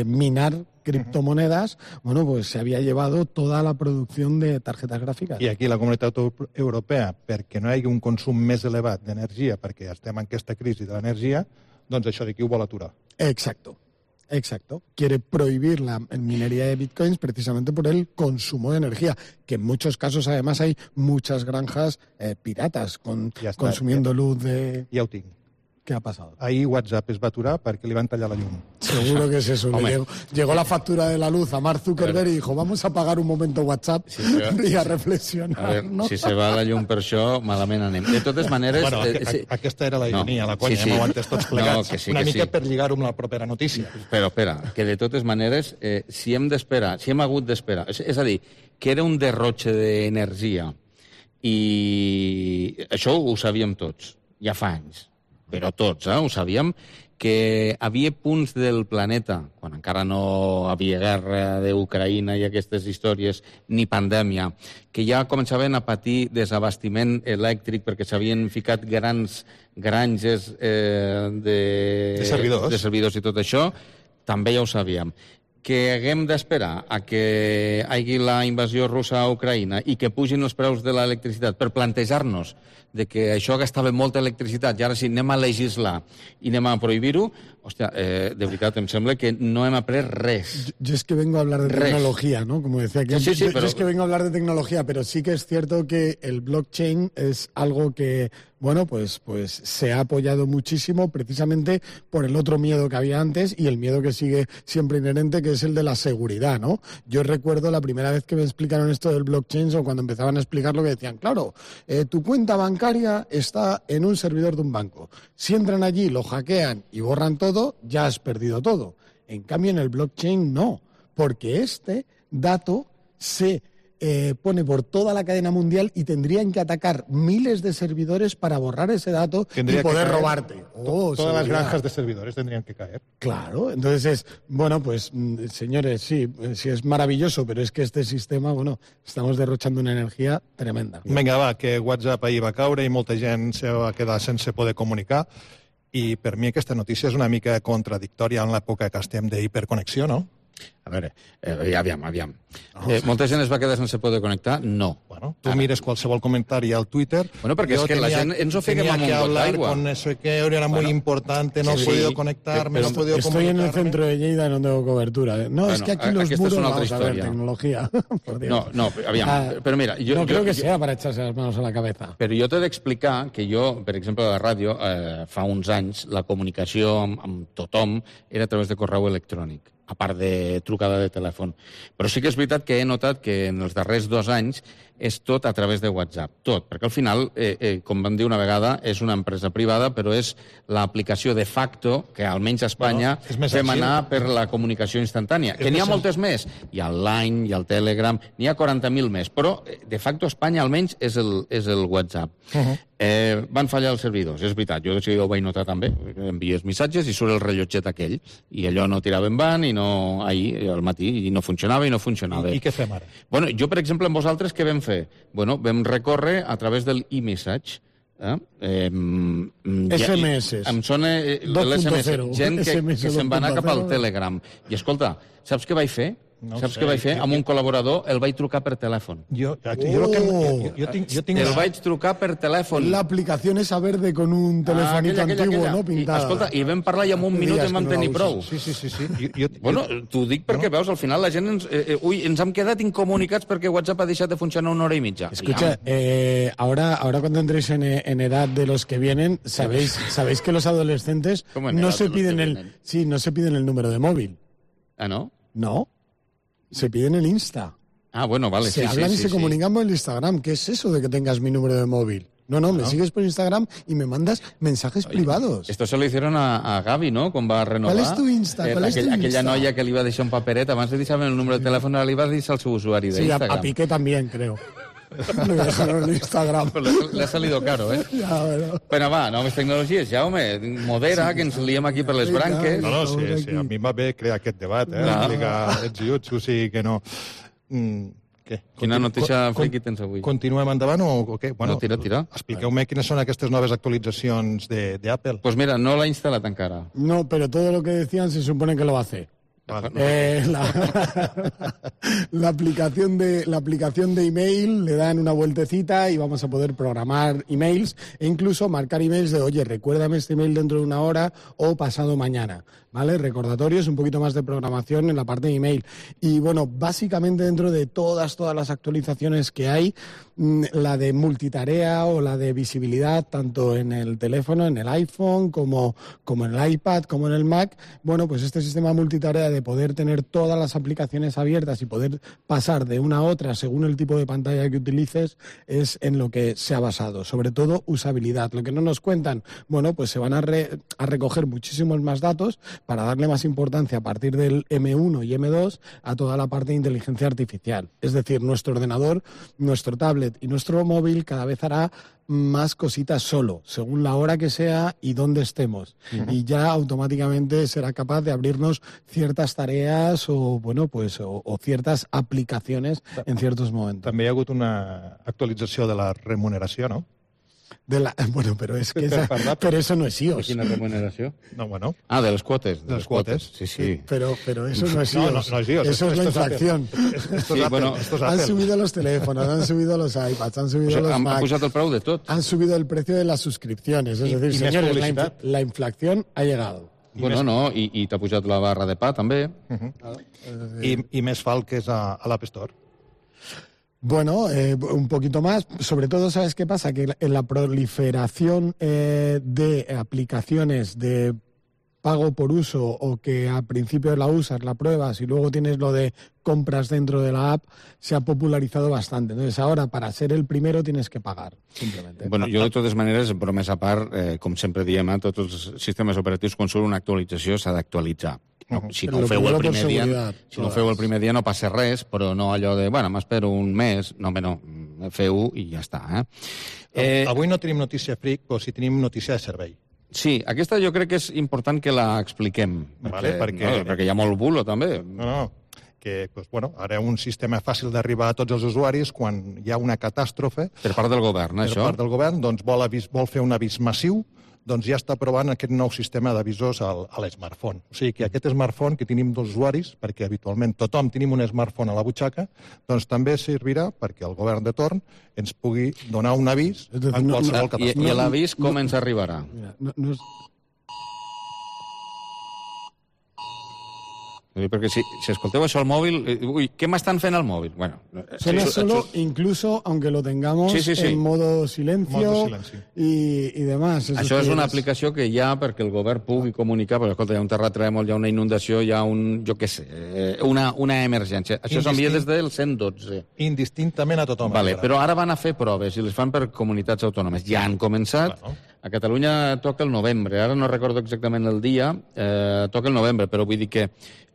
minar criptomonedas, bueno, pues se había llevado toda la producción de tarjetas gráficas. I aquí la Comunitat Europea, perquè no hi hagi un consum més elevat d'energia, perquè estem en aquesta crisi de l'energia, doncs això d'aquí ho vol aturar. Exacto. Exacto. Quiere prohibir la minería de bitcoins precisamente por el consumo de energía, que en muchos casos además hay muchas granjas piratas consumiendo luz de... Ja ho tinc. ¿Qué ha pasado? Ahir WhatsApp es va aturar perquè li van tallar la llum. Seguro que es eso. Llegó la factura de la luz a Mark Zuckerberg y dijo, vamos a pagar un momento WhatsApp y a reflexionar. A ver, ¿no? si se va la llum per això, malament anem. De totes maneres... Bueno, aquesta era la ironia, la conya, hem aguantat tots plegats. Una mica per lligar-ho amb la propera notícia. Però espera, que de totes maneres, si hem d'esperar, si hem hagut d'esperar, és a dir, que era un derrotxe d'energia i això ho sabíem tots, ja fa anys. Però tots, ho sabíem, que havia punts del planeta, quan encara no havia guerra d'Ucraïna i aquestes històries, ni pandèmia, que ja començaven a patir desabastiment elèctric perquè s'havien ficat grans granges de servidors i tot això, també ja ho sabíem. Que haguem d'esperar a que hi hagi la invasió russa a Ucraïna i que pugin els preus de l'electricitat per plantejar-nos de que això gastava molta electricitat i ara sí, anem a legislar i anem a prohibir-ho, hòstia, de veritat, em sembla que no hem après res. Yo es que vengo a hablar de tecnología, ¿no? Como decía aquí. Sí, yo es que vengo a hablar de tecnología, pero sí que es cierto que el blockchain es algo que, bueno, pues se ha apoyado muchísimo precisamente por el otro miedo que había antes y el miedo que sigue siempre inherente, que es el de la seguridad, ¿no? Yo recuerdo la primera vez que me explicaron esto del blockchain o cuando empezaban a explicar lo que decían, claro, tu cuenta bancaria está en un servidor de un banco. Si entran allí, lo hackean y borran todo, ya has perdido todo. En cambio, en el blockchain no, porque este dato se pone por toda la cadena mundial y tendrían que atacar miles de servidores para borrar ese dato y poder robarte. Todas las granjas de servidores tendrían que caer. Claro, entonces bueno, pues señores, sí es maravilloso, pero es que este sistema, bueno, estamos derrochando una energía tremenda. Vinga, va, que WhatsApp ahir va caure i molta gent se va quedar sense poder comunicar i per mi aquesta notícia és una mica contradictòria en l'època que estem d'hiperconnexió, no? A veure, aviam. Molta gent es va quedar sense poder connectar? No. Bueno, tu mires qualsevol comentari al Twitter. Bueno, perquè és que la gent ens ho fiquem amb un got d'aigua. Con eso que era muy importante, no he podido conectarme, no he podido comunicarme. Estoy en el centro de Lleida y no tengo cobertura. No, bueno, es que aquí los muros, vamos a ver, tecnología. No, aviam, però mira... No creo que sea para echarse las manos a la cabeza. Però jo t'he d'explicar que jo, per exemple, a la ràdio, fa uns anys, la comunicació amb tothom era a través de correu electrònic. a part de trucada de telèfon. Però sí que és veritat que he notat que en els darrers 2 anys és tot a través de WhatsApp, tot, perquè al final, com vam dir una vegada, és una empresa privada, però és l'aplicació de facto que almenys a Espanya fem anar per la comunicació instantània. Que n'hi ha moltes més. Hi ha el Line, hi ha el Telegram, n'hi ha 40.000 més, però de facto a Espanya almenys és el WhatsApp. Van fallar els servidors, és veritat, jo de seguida ho vaig notar també, envies missatges i surt el rellotget aquell, i allò no tirava en van, i no, ahir, al matí, i no funcionava. I què fem ara? Bueno, jo, per exemple, amb vosaltres, què vam fer? Bueno, vam recórrer a través del e-message. SMS. Em sona l'SMS. Gent que se'n va anar cap al Telegram. I escolta, saps què vaig fer? Saps què vaig fer? Amb un col·laborador el vaig trucar per telèfon. El vaig trucar per telèfon. La aplicación esa verde con un telefonito antiguo, ¿no? Pintada. Escolta, i vam parlar i en un minut em vam tenir prou. Sí. Bueno, t'ho dic perquè, veus, al final la gent ens hem quedat incomunicats perquè WhatsApp ha deixat de funcionar 1 hora i mitja. Escucha, ahora cuando entréis en edad de los que vienen, sabéis que los adolescentes no se piden el número de móvil. ¿Ah, no? No. Se piden el Insta. Ah, bueno, vale. Se hablan y se comunican por el Instagram. ¿Qué es eso de que tengas mi número de móvil? No, me sigues por Instagram y me mandas mensajes privados. Esto se lo hicieron a Gavi, ¿no? Quan va renovar. ¿Cuál es tu Insta? Aquella noia que li va deixar un paperet, abans de deixar el número de telèfon, li va deixar el seu usuari d'Instagram. Sí, a Piqué también, creo. Me dejaron el Instagram. Le ha salido caro, ¿eh? Ja, bueno. Però va, noves tecnologies, Jaume, modera, que ens liem aquí per les branques. No, sí, a mi va bé crear aquest debat, explicar ets i uts, o sigui que no... Què? Quina notícia friki tens avui? Continuem endavant o què? Bueno, tira. Expliqueu-me quines són aquestes noves actualitzacions d'Apple. Pues mira, no l'ha instal·lat encara. No, pero todo lo que decían se supone que lo va a hacer. Vale. La aplicación de email le dan una vueltecita y vamos a poder programar emails e incluso marcar emails de, oye, recuérdame este email dentro de 1 hora o pasado mañana, ¿vale? Recordatorios, un poquito más de programación en la parte de email. Y bueno, básicamente dentro de todas las actualizaciones que hay, la de multitarea o la de visibilidad, tanto en el teléfono, en el iPhone, como en el iPad, como en el Mac, bueno, pues este sistema multitarea de poder tener todas las aplicaciones abiertas y poder pasar de una a otra según el tipo de pantalla que utilices es en lo que se ha basado, sobre todo usabilidad. Lo que no nos cuentan, bueno, pues se van a recoger muchísimos más datos para darle más importancia a partir del M1 y M2 a toda la parte de inteligencia artificial. Es decir, nuestro ordenador, nuestro tablet y nuestro móvil cada vez hará más cositas solo, según la hora que sea y dónde estemos. Y ya automáticamente será capaz de abrirnos ciertas tareas o, bueno, pues, o ciertas aplicaciones en ciertos momentos. També hi ha hagut una actualització de la remuneració, no? Bueno, pero es que pero eso no es iOS. ¿De quina remuneració? No, bueno. Ah, de les quotes. De les quotes. Sí. Pero eso no es iOS. No es iOS. Eso es la inflación. Esto es Apple. Han subido los teléfonos, han subido los iPads, han subido los Mac. Han pujat el preu de tot. Han subido el precio de las suscripciones. Es decir, señores, la inflación ha llegado. Bueno, no, i t'ha pujat la barra de pa, també. I més fa el que és a l'App Store. Bueno, un poquito más. Sobre todo, ¿sabes qué pasa? Que en la proliferación de aplicaciones de pago por uso o que al principio la usas, la pruebas y luego tienes lo de compras dentro de la app, se ha popularizado bastante. Entonces ahora, para ser el primero, tienes que pagar, simplemente. Bueno, jo, de totes maneres, bromès a part, com sempre diem, tots els sistemes operatius, quan surt una actualització, s'ha d'actualitzar. No, si no ho feu el primer dia, no passa res, però no allò de, bueno, m'espero un mes, no, feu i ja està. Avui no tenim notícia fric, però sí tenim notícia de servei. Sí, aquesta jo crec que és important que la expliquem, perquè hi ha molt bulo, també. No, que ara un sistema fàcil d'arribar a tots els usuaris quan hi ha una catàstrofe. Per part del govern, això? Per part del govern, doncs vol fer un avís massiu, doncs ja està provant aquest nou sistema d'avisos a l'smartphone. O sigui que aquest smartphone que tenim dels usuaris, perquè habitualment tothom tenim un smartphone a la butxaca, doncs també servirà perquè el govern de torn ens pugui donar un avís en qualsevol catàstrofe. I l'avís com ens arribarà? Perquè si escolteu això al móvil, uy, ¿qué m'estan fent al móvil? Bueno, suena solo, incluso aunque lo tengamos en modo silencio y demás. Això és una aplicació que hi ha perquè el govern pugui comunicar, perquè escolta, hi ha un terratrèmol, hi ha una inundació, hi ha jo què sé, una emergència. Això s'envia des del 112. Indistintament a tothom. Vale, però ara van a fer proves i les fan per comunitats autònomes. Ja han començat. A Catalunya toca el novembre, ara no recordo exactament el dia, toca el novembre, però vull dir que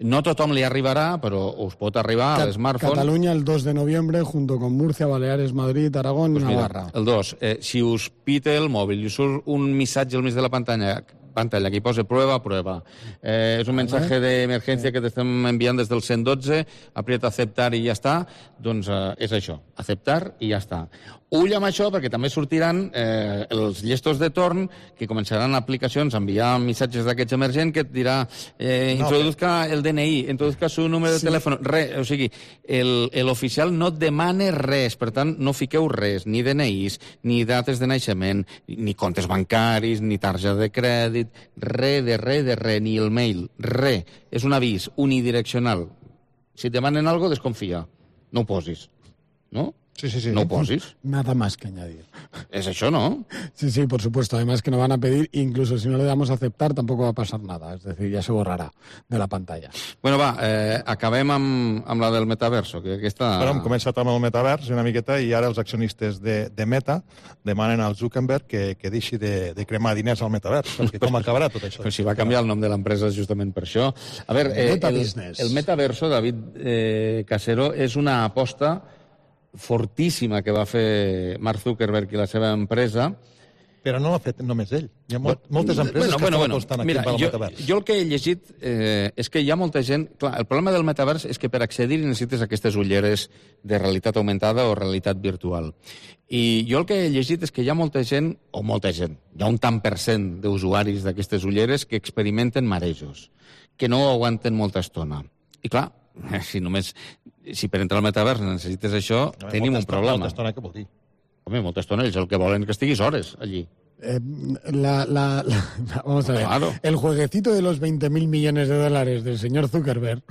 no tothom li arribarà, però us pot arribar a l'smartphone. Cataluña el 2 de noviembre, junto con Murcia, Baleares, Madrid, Aragón y Navarra. El 2, si us pite el mòbil i us surt un missatge al mig de la pantalla que hi posa prueba. És un mensaje d'emergència que t'estem enviant des del 112, aprieta aceptar i ja està, doncs és això, aceptar i ja està. Ull amb això, perquè també sortiran els llestos de torn que començaran aplicacions a enviar missatges d'aquests emergents que et dirà introduzca el DNI, introduzca su número de telèfon, res, o sigui, l'oficial no et demana res, per tant, no fiqueu res, ni DNIs, ni dates de naixement, ni comptes bancaris, ni targeta de crèdit, res, ni el mail, res. És un avís unidireccional. Si et demanen algo, desconfia. No ho posis. ¿No? Sí. No ho posis. Nada más que añadir. Es això, ¿no? Sí, por supuesto. Además que nos van a pedir, incluso si no le damos a aceptar, tampoco va a pasar nada. Es decir, ya se borrará de la pantalla. Bueno, va, acabem amb la del metaverso, que aquesta... Però hem començat amb el metavers una miqueta i ara els accionistes de Meta demanen al Zuckerberg que deixi de cremar diners al metavers, perquè com acabarà tot això? Però si va canviar el nom de l'empresa justament per això. A veure, el metaverso, David Casero, és una aposta fortíssima que va fer Mark Zuckerberg i la seva empresa. Però no l'ha fet només ell. Hi ha moltes empreses que estan apostant aquí pel metavers. Jo el que he llegit és que hi ha molta gent... Clar, el problema del metavers és que per accedir necessites aquestes ulleres de realitat augmentada o realitat virtual. I jo el que he llegit és que hi ha molta gent, hi ha un tant per cent d'usuaris d'aquestes ulleres que experimenten marejos, que no aguanten molta estona. I clar, si per entrar al metavers necessites això, tenim un problema. Molta estona, què vol dir? Home, molta estona, ells el que volen que estiguis hores allí. Vamos a ver. Claro. El jueguecito de los 20.000 millones de dólares del señor Zuckerberg,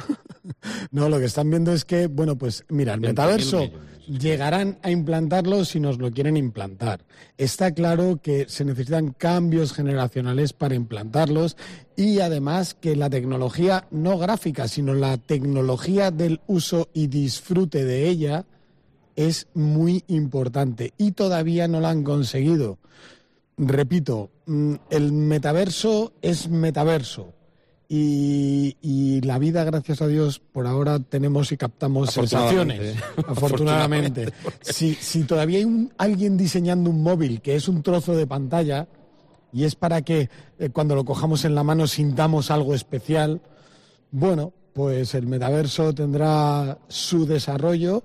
no, lo que están viendo es que, bueno, pues mira, el metaverso llegarán a implantarlo si nos lo quieren implantar. Está claro que se necesitan cambios generacionales para implantarlos y además que la tecnología no gráfica, sino la tecnología del uso y disfrute de ella es muy importante y todavía no la han conseguido. Repito, el metaverso es metaverso y la vida, gracias a Dios, por ahora tenemos y captamos sensaciones, afortunadamente. Si todavía hay alguien diseñando un móvil que es un trozo de pantalla y es para que cuando lo cojamos en la mano sintamos algo especial, bueno, pues el metaverso tendrá su desarrollo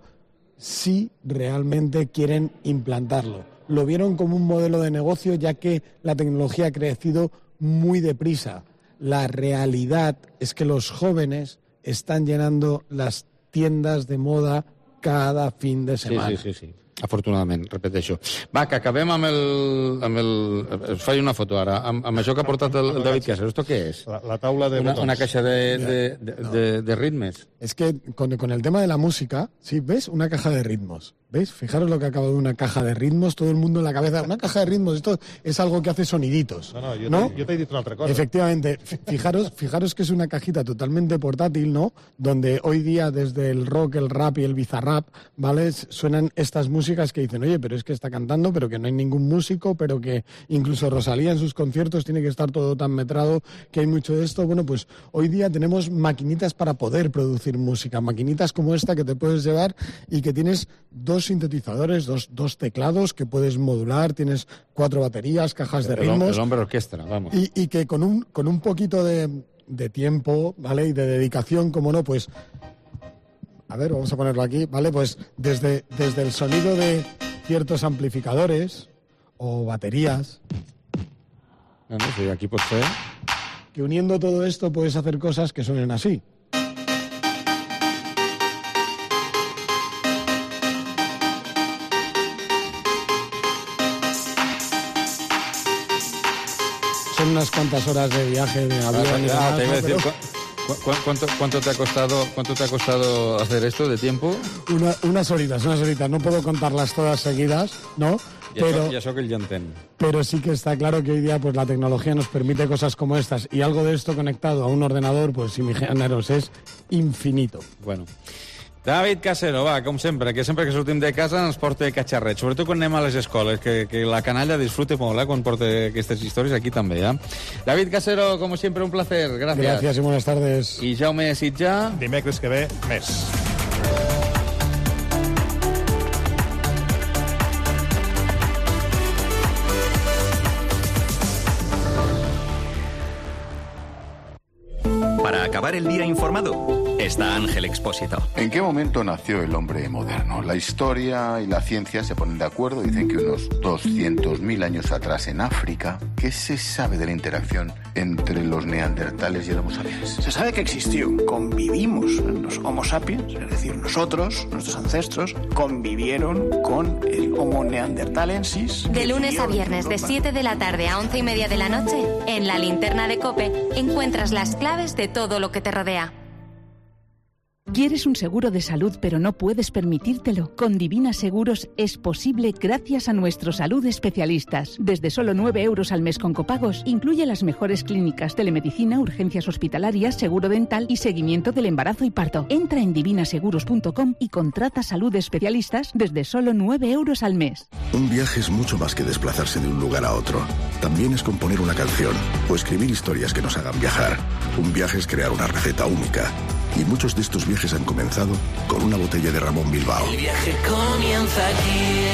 si realmente quieren implantarlo. Lo vieron como un modelo de negocio ya que la tecnología ha crecido muy deprisa. La realidad es que los jóvenes están llenando las tiendas de moda cada fin de semana. Sí. Afortunadament, repeteixo. Va, que acabem amb el... Faig una foto ara, amb això que ha portat el David Casero. ¿Esto qué es? La taula de botons. Una caja de ritmes. Es que con el tema de la música, sí, ¿ves? Una caja de ritmos. ¿Veis? Fijaros lo que acaba de una caja de ritmos, todo el mundo en la cabeza. Una caja de ritmos, esto es algo que hace soniditos. No, yo te he dicho otra cosa. Efectivamente. Fijaros que es una cajita totalmente portátil, ¿no? Donde hoy día desde el rock, el rap y el bizarrap, ¿vale? Suenan estas músicas que dicen, oye, pero es que está cantando, pero que no hay ningún músico, pero que incluso Rosalía en sus conciertos tiene que estar todo tan metrado, que hay mucho de esto. Bueno, pues hoy día tenemos maquinitas para poder producir música, maquinitas como esta que te puedes llevar y que tienes dos sintetizadores, dos teclados que puedes modular, tienes 4 baterías, cajas de ritmos. El hombre orquestra, vamos. Y que con un poquito de tiempo, ¿vale? Y de dedicación, como no, pues... A ver, vamos a ponerlo aquí, ¿vale? Pues desde el sonido de ciertos amplificadores o baterías... Bueno, sí, aquí pues fue... Que uniendo todo esto puedes hacer cosas que suenen así. Son unas cuantas horas de viaje de avión y demás, te iba a decir, ¿Cuánto te ha costado hacer esto de tiempo? Unas horitas. No puedo contarlas todas seguidas, ¿no? Ya eso que el llantén. Pero sí que está claro que hoy día pues la tecnología nos permite cosas como estas, y algo de esto conectado a un ordenador, pues imaginaros, es infinito. Bueno. David Casero, va, com sempre, que sempre que sortim de casa ens porta catxarrets, sobretot quan anem a les escoles, que la canalla disfrute molt, quan porta aquestes històries, aquí també, David Casero, como siempre, un placer, gracias. Gracias y buenas tardes. I Jaume Sitjà. Dimecres que ve, més. Para acabar el día informado, está Ángel Expósito. ¿En qué momento nació el hombre moderno? La historia y la ciencia se ponen de acuerdo. Dicen que unos 200.000 años atrás en África. ¿Qué se sabe de la interacción entre los neandertales y el Homo sapiens? Se sabe que existió. Convivimos. Los Homo sapiens, es decir, nosotros, nuestros ancestros, convivieron con el Homo neanderthalensis. De lunes a viernes, de 7 de la tarde a 11:30 de la noche, en la linterna de COPE, encuentras las claves de todo lo que te rodea. ¿Quieres un seguro de salud pero no puedes permitírtelo? Con Divina Seguros es posible gracias a nuestros salud especialistas. Desde solo 9 euros al mes con copagos, incluye las mejores clínicas, telemedicina, urgencias hospitalarias, seguro dental y seguimiento del embarazo y parto. Entra en divinaseguros.com y contrata salud especialistas desde solo 9 euros al mes. Un viaje es mucho más que desplazarse de un lugar a otro. También es componer una canción o escribir historias que nos hagan viajar. Un viaje es crear una receta única. Y muchos de estos viajes han comenzado con una botella de Ramón Bilbao. El viaje comienza aquí.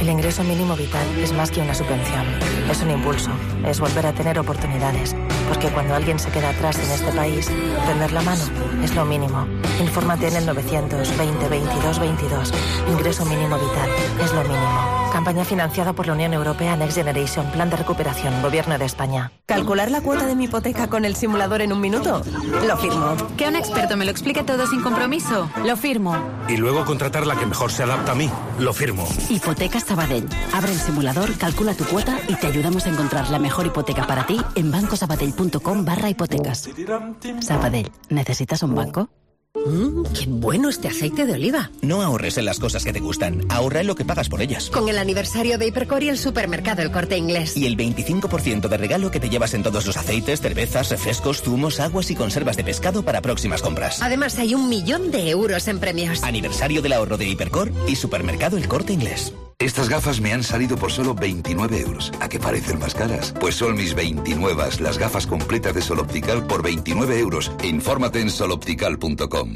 El ingreso mínimo vital es más que una subvención. Es un impulso. Es volver a tener oportunidades. Porque cuando alguien se queda atrás en este país, tender la mano es lo mínimo. Infórmate en el 920 22 22. Ingreso mínimo vital es lo mínimo. Campaña financiada por la Unión Europea Next Generation, Plan de Recuperación, Gobierno de España. ¿Calcular la cuota de mi hipoteca con el simulador en un minuto? Lo firmo. ¿Que un experto me lo explique todo sin compromiso? Lo firmo. Y luego contratar la que mejor se adapta a mí. Lo firmo. Hipotecas Sabadell. Abre el simulador, calcula tu cuota y te ayudamos a encontrar la mejor hipoteca para ti en bancosabadell.com/hipotecas. Sabadell, ¿necesitas un banco? ¡Qué bueno este aceite de oliva! No ahorres en las cosas que te gustan, ahorra en lo que pagas por ellas. Con el aniversario de Hipercor y el supermercado El Corte Inglés. Y el 25% de regalo que te llevas en todos los aceites, cervezas, refrescos, zumos, aguas y conservas de pescado para próximas compras. Además hay 1 millón de euros en premios. Aniversario del ahorro de Hipercor y supermercado El Corte Inglés. Estas gafas me han salido por solo 29 euros. ¿A qué parecen más caras? Pues son mis 29, las gafas completas de Sol Optical por 29 euros. Infórmate en soloptical.com.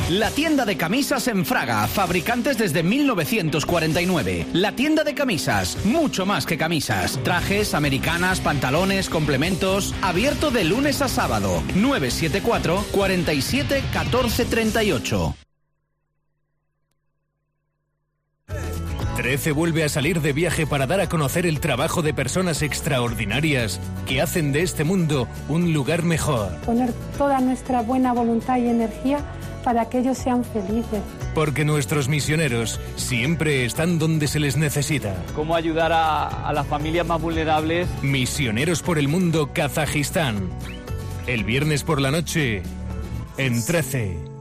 La tienda de camisas en Fraga, fabricantes desde 1949. La tienda de camisas, mucho más que camisas. Trajes, americanas, pantalones, complementos. Abierto de lunes a sábado. 974 47 14 38. 13 vuelve a salir de viaje para dar a conocer el trabajo de personas extraordinarias que hacen de este mundo un lugar mejor. Poner toda nuestra buena voluntad y energía para que ellos sean felices. Porque nuestros misioneros siempre están donde se les necesita. ¿Cómo ayudar a las familias más vulnerables? Misioneros por el mundo, Kazajistán. El viernes por la noche, en 13.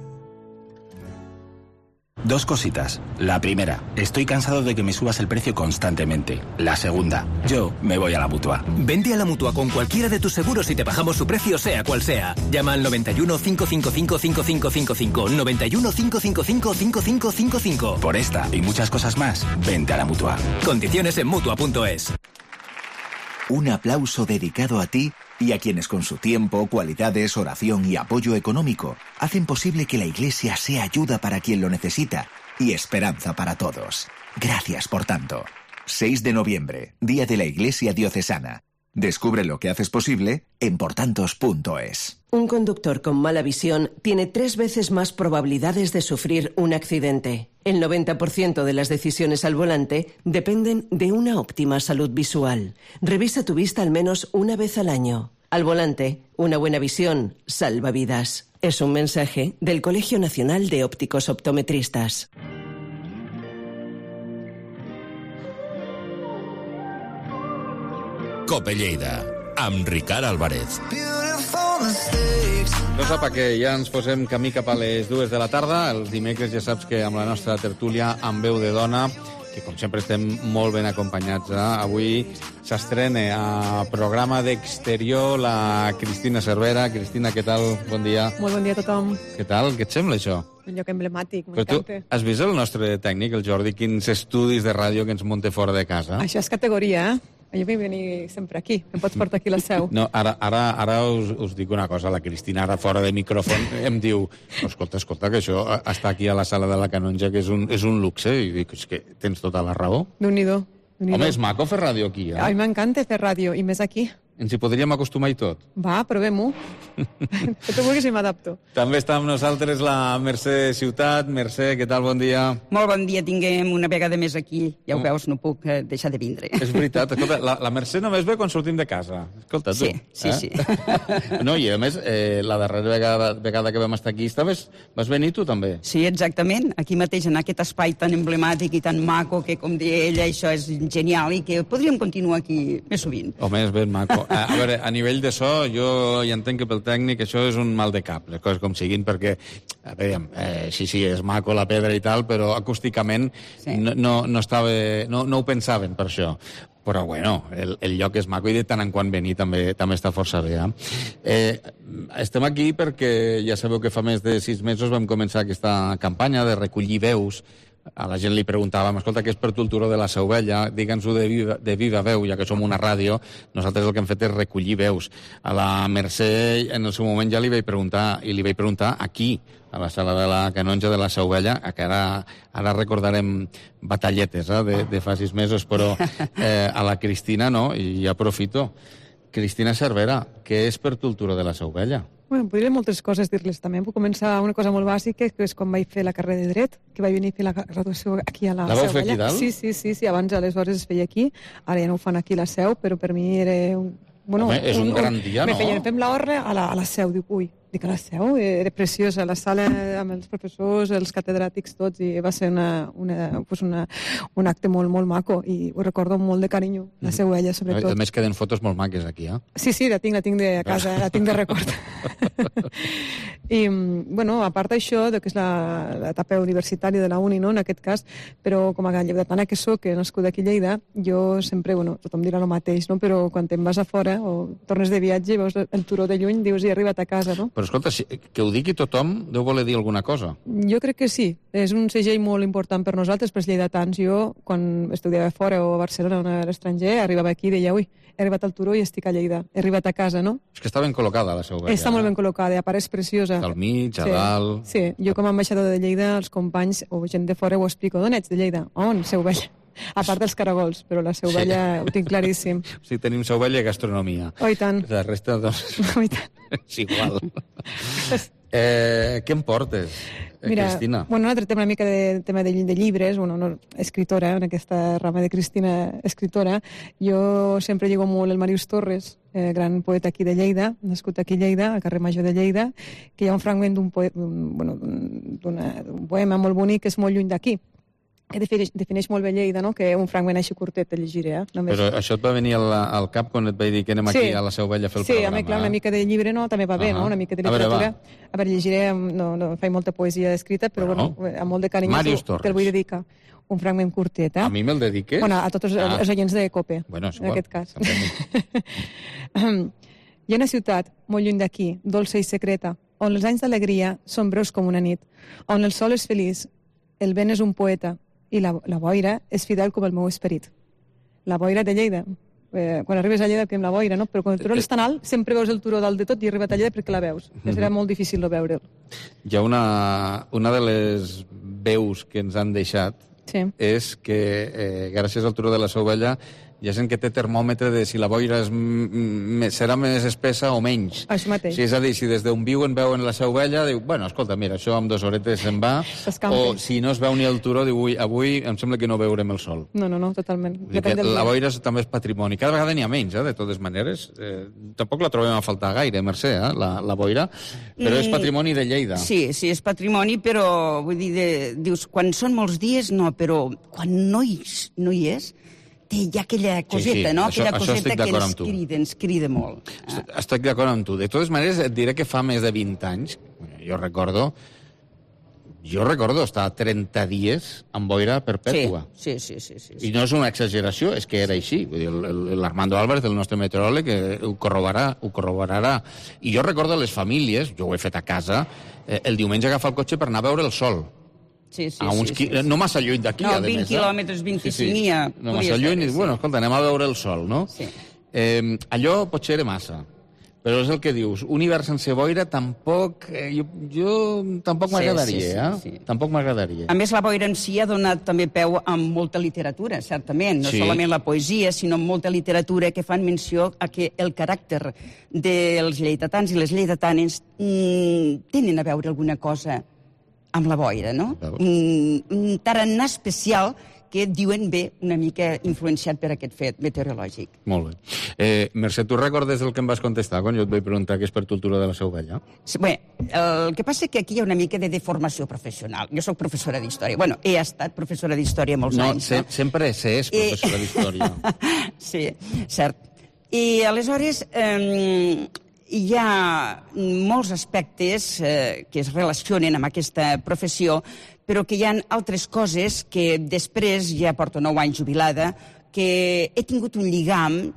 Dos cositas. La primera, estoy cansado de que me subas el precio constantemente. La segunda, yo me voy a la Mutua. Vente a la Mutua con cualquiera de tus seguros y te bajamos su precio sea cual sea. Llama al 91 555 5555. 91 555 5555. Por esta y muchas cosas más, vente a la Mutua. Condiciones en Mutua.es. Un aplauso dedicado a ti y a quienes con su tiempo, cualidades, oración y apoyo económico hacen posible que la Iglesia sea ayuda para quien lo necesita y esperanza para todos. Gracias por tanto. 6 de noviembre, Día de la Iglesia Diocesana. Descubre lo que haces posible en portantos.es. Un conductor con mala visión tiene 3 veces más probabilidades de sufrir un accidente. El 90% de las decisiones al volante dependen de una óptima salud visual. Revisa tu vista al menos una vez al año. Al volante, una buena visión salva vidas. Es un mensaje del Colegio Nacional de Ópticos Optometristas. Cope Lleida, amb Ricard Álvarez. No sap que ja ens posem camí cap a les 2 de la tarda. Els dimecres ja saps que amb la nostra tertúlia amb veu de dona, que com sempre estem molt ben acompanyats. Avui s'estrena a programa d'Exterior la Cristina Cervera. Cristina, què tal? Bon dia. Molt bon dia a tothom. Què tal? Què et sembla això? Un lloc emblemàtic, Però m'encanta. tu has vist el nostre tècnic, el Jordi, quins estudis de ràdio que ens munta fora de casa? Això és categoria, Jo vull venir sempre aquí. Em pots portar aquí a la seu. No, ara us dic una cosa. La Cristina, ara fora de micròfon, em diu, escolta, que això està aquí a la sala de la Canonja, que és un luxe. I dic, és que tens tota la raó. Déu-n'hi-do. Home, és maco fer ràdio aquí, eh? Ai, m'encanta fer ràdio, i més aquí. Ens hi podríem acostumar i tot. Va, provem-ho. Que tu vulguis i m'adapto. També està amb nosaltres la Mercè Ciutat. Mercè, què tal? Bon dia. Molt bon dia, tinguem una vegada més aquí. Ja ho veus, no puc deixar de vindre. És veritat. Escolta, la Mercè només ve quan sortim de casa. Escolta, tu. Sí. No, i a més, la darrera vegada que vam estar aquí, vas venir tu també? Sí, exactament. Aquí mateix, en aquest espai tan emblemàtic i tan maco, que, com deia ella, això és genial i que podríem continuar aquí més sovint. Home, és ben maco. A veure, a nivell de so, jo ja entenc que pel tècnic això és un mal de cap, les coses com siguin, perquè, a veure, sí, és maco la pedra i tal, però acústicament no ho pensaven per això. Però, bueno, el lloc és maco i de tant en quant venir també està força bé. Estem aquí perquè ja sabeu que fa més de 6 mesos vam començar aquesta campanya de recollir veus. A la gent li preguntàvem, escolta, què és per tu el turó de la Seu Vella? Digue'ns-ho de viva veu, ja que som una ràdio. Nosaltres el que hem fet és recollir veus. A la Mercè, en el seu moment, ja li vaig preguntar aquí, a la sala de la Canonja de la Seu Vella, que ara recordarem batalletes de fa 6 mesos, però a la Cristina no, i aprofito. Cristina Cervera, què és per tu el turó de la Seu Vella? Bueno, podria moltes coses dir-les també. Puc començar una cosa molt bàsica, que és quan vaig fer la carrera de Dret, que vaig venir a fer la graduació aquí a la Seu Vella. La vau fer aquí dalt? Sí, abans aleshores es feia aquí, ara ja no ho fan aquí a la Seu, però per mi era és un gran dia, no? Fem l'horra a la Seu, dic, dic a la Seu, era preciosa, la sala amb els professors, els catedràtics tots, i va ser un acte molt, molt maco, i ho recordo amb molt de carinyo, la Seu Vella, sobretot. A més, queden fotos molt maques aquí, eh? Sí, la tinc de casa, la tinc de record. I, bueno, a part d'això, que és l'etapa universitària de la uni, no?, en aquest cas, però com a lleidatana que soc, que nascuda aquí a Lleida, jo sempre, tothom dirà el mateix, no?, però quan te'n vas a fora o tornes de viatge, veus el turó de lluny, dius, he arribat a casa, no? Però escolta, que ho digui tothom deu voler dir alguna cosa. Jo crec que sí. És un segell molt important per nosaltres, per els lleidatans. Jo, quan estudiava fora o a Barcelona o a l'estranger, arribava aquí i deia, he arribat al turó i estic a Lleida. He arribat a casa, no? És que està ben col·locada, la Seu Vella. Està molt ben col·locada, a part és preciosa. Al mig, a dalt... Sí, jo com a ambaixador de Lleida, els companys o gent de fora ho explico. D'on ets, de Lleida? On? Seu Vella. A part dels caragols, però la Seu Vella ho tinc claríssim. Sí, tenim Seu Vella i gastronomia. Oh, i tant. La resta, doncs... Oh, i tant. És igual. Què em portes, Cristina? Bueno, nosaltres tenim una mica de tema de llibres, escritora, en aquesta rama de Cristina escritora. Jo sempre lligo molt el Màrius Torres, gran poeta aquí de Lleida, nascut aquí a Lleida, al carrer Major de Lleida, que hi ha un fragment d'un poema molt bonic que és molt lluny d'aquí, que defineix molt bé Lleida, no?, que un fragment així curtet te llegiré. Però això et va venir al cap quan et vaig dir que anem aquí a la Seu Vella a fer el programa? Sí, clar, una mica de llibre també va bé, no?, una mica de literatura. A veure, llegiré, no faig molta poesia escrita, però amb molt de carinyo te'l vull dedicar. Un fragment curtet, A mi me'l dediques? A tots els oients de COPE, en aquest cas. Hi ha una ciutat, molt lluny d'aquí, dolça i secreta, on els anys d'alegria són breus com una nit, on el sol és feliç, el vent és un poeta, i la boira és fidel com el meu esperit. La boira de Lleida. Quan arribes a Lleida, que amb la boira, no? Però quan el turó és tan alt, sempre veus el turó dalt de tot i arribat a Lleida perquè la veus. Serà molt difícil de veure'l. Hi ha una de les veus que ens han deixat és que gràcies al turó de la Seu Vella hi ha gent que té termòmetre de si la boira serà més espessa o menys. Això mateix. És a dir, si des d'on viuen veuen la Seu Vella, diu, escolta, mira, això amb 2 horetes se'n va, o si no es veu ni el turó, diu, avui em sembla que no veurem el sol. No, totalment. La boira també és patrimoni. Cada vegada n'hi ha menys, de totes maneres. Tampoc la trobem a faltar gaire, Mercè, la boira, però és patrimoni de Lleida. Sí, és patrimoni, però vull dir, dius, quan són molts dies, no, però quan no hi és, té ja aquella coseta, no? Aquella coseta que ens crida molt. Estic d'acord amb tu. De totes maneres, et diré que fa més de 20 anys, jo recordo estar 30 dies amb boira perpètua. Sí. I no és una exageració, és que era així. L'Armando Álvarez, el nostre meteoròleg, ho corroborarà. I jo recordo les famílies, jo ho he fet a casa, el diumenge agafar el cotxe per anar a veure el sol. Sí. No massa lluny d'aquí, a més. 20 quilòmetres, 25 no massa lluny, bueno, escolta, anem a veure el sol, no? Sí. Allò potser era massa. Però és el que dius, un hivern sense boira tampoc... Jo tampoc m'agradaria, Tampoc m'agradaria. A més, la boira en si ha donat també peu a molta literatura, certament. No solament la poesia, sinó molta literatura que fan menció a que el caràcter dels lleidatans i les lleidatanes tenen a veure alguna cosa amb la boira, no? Un tarannà especial que diuen una mica influenciat per aquest fet meteorològic. Molt bé. Mercè, tu recordes el que em vas contestar quan jo et vaig preguntar què és per tu el turó de la Seu Vella? Bé, el que passa és que aquí hi ha una mica de deformació professional. Jo soc professora d'història. Bueno, he estat professora d'història molts anys. Sempre s'és professora d'història. Sí, cert. I aleshores hi ha molts aspectes que es relacionen amb aquesta professió, però que hi ha altres coses que després, ja porto 9 anys jubilada, que he tingut un lligam,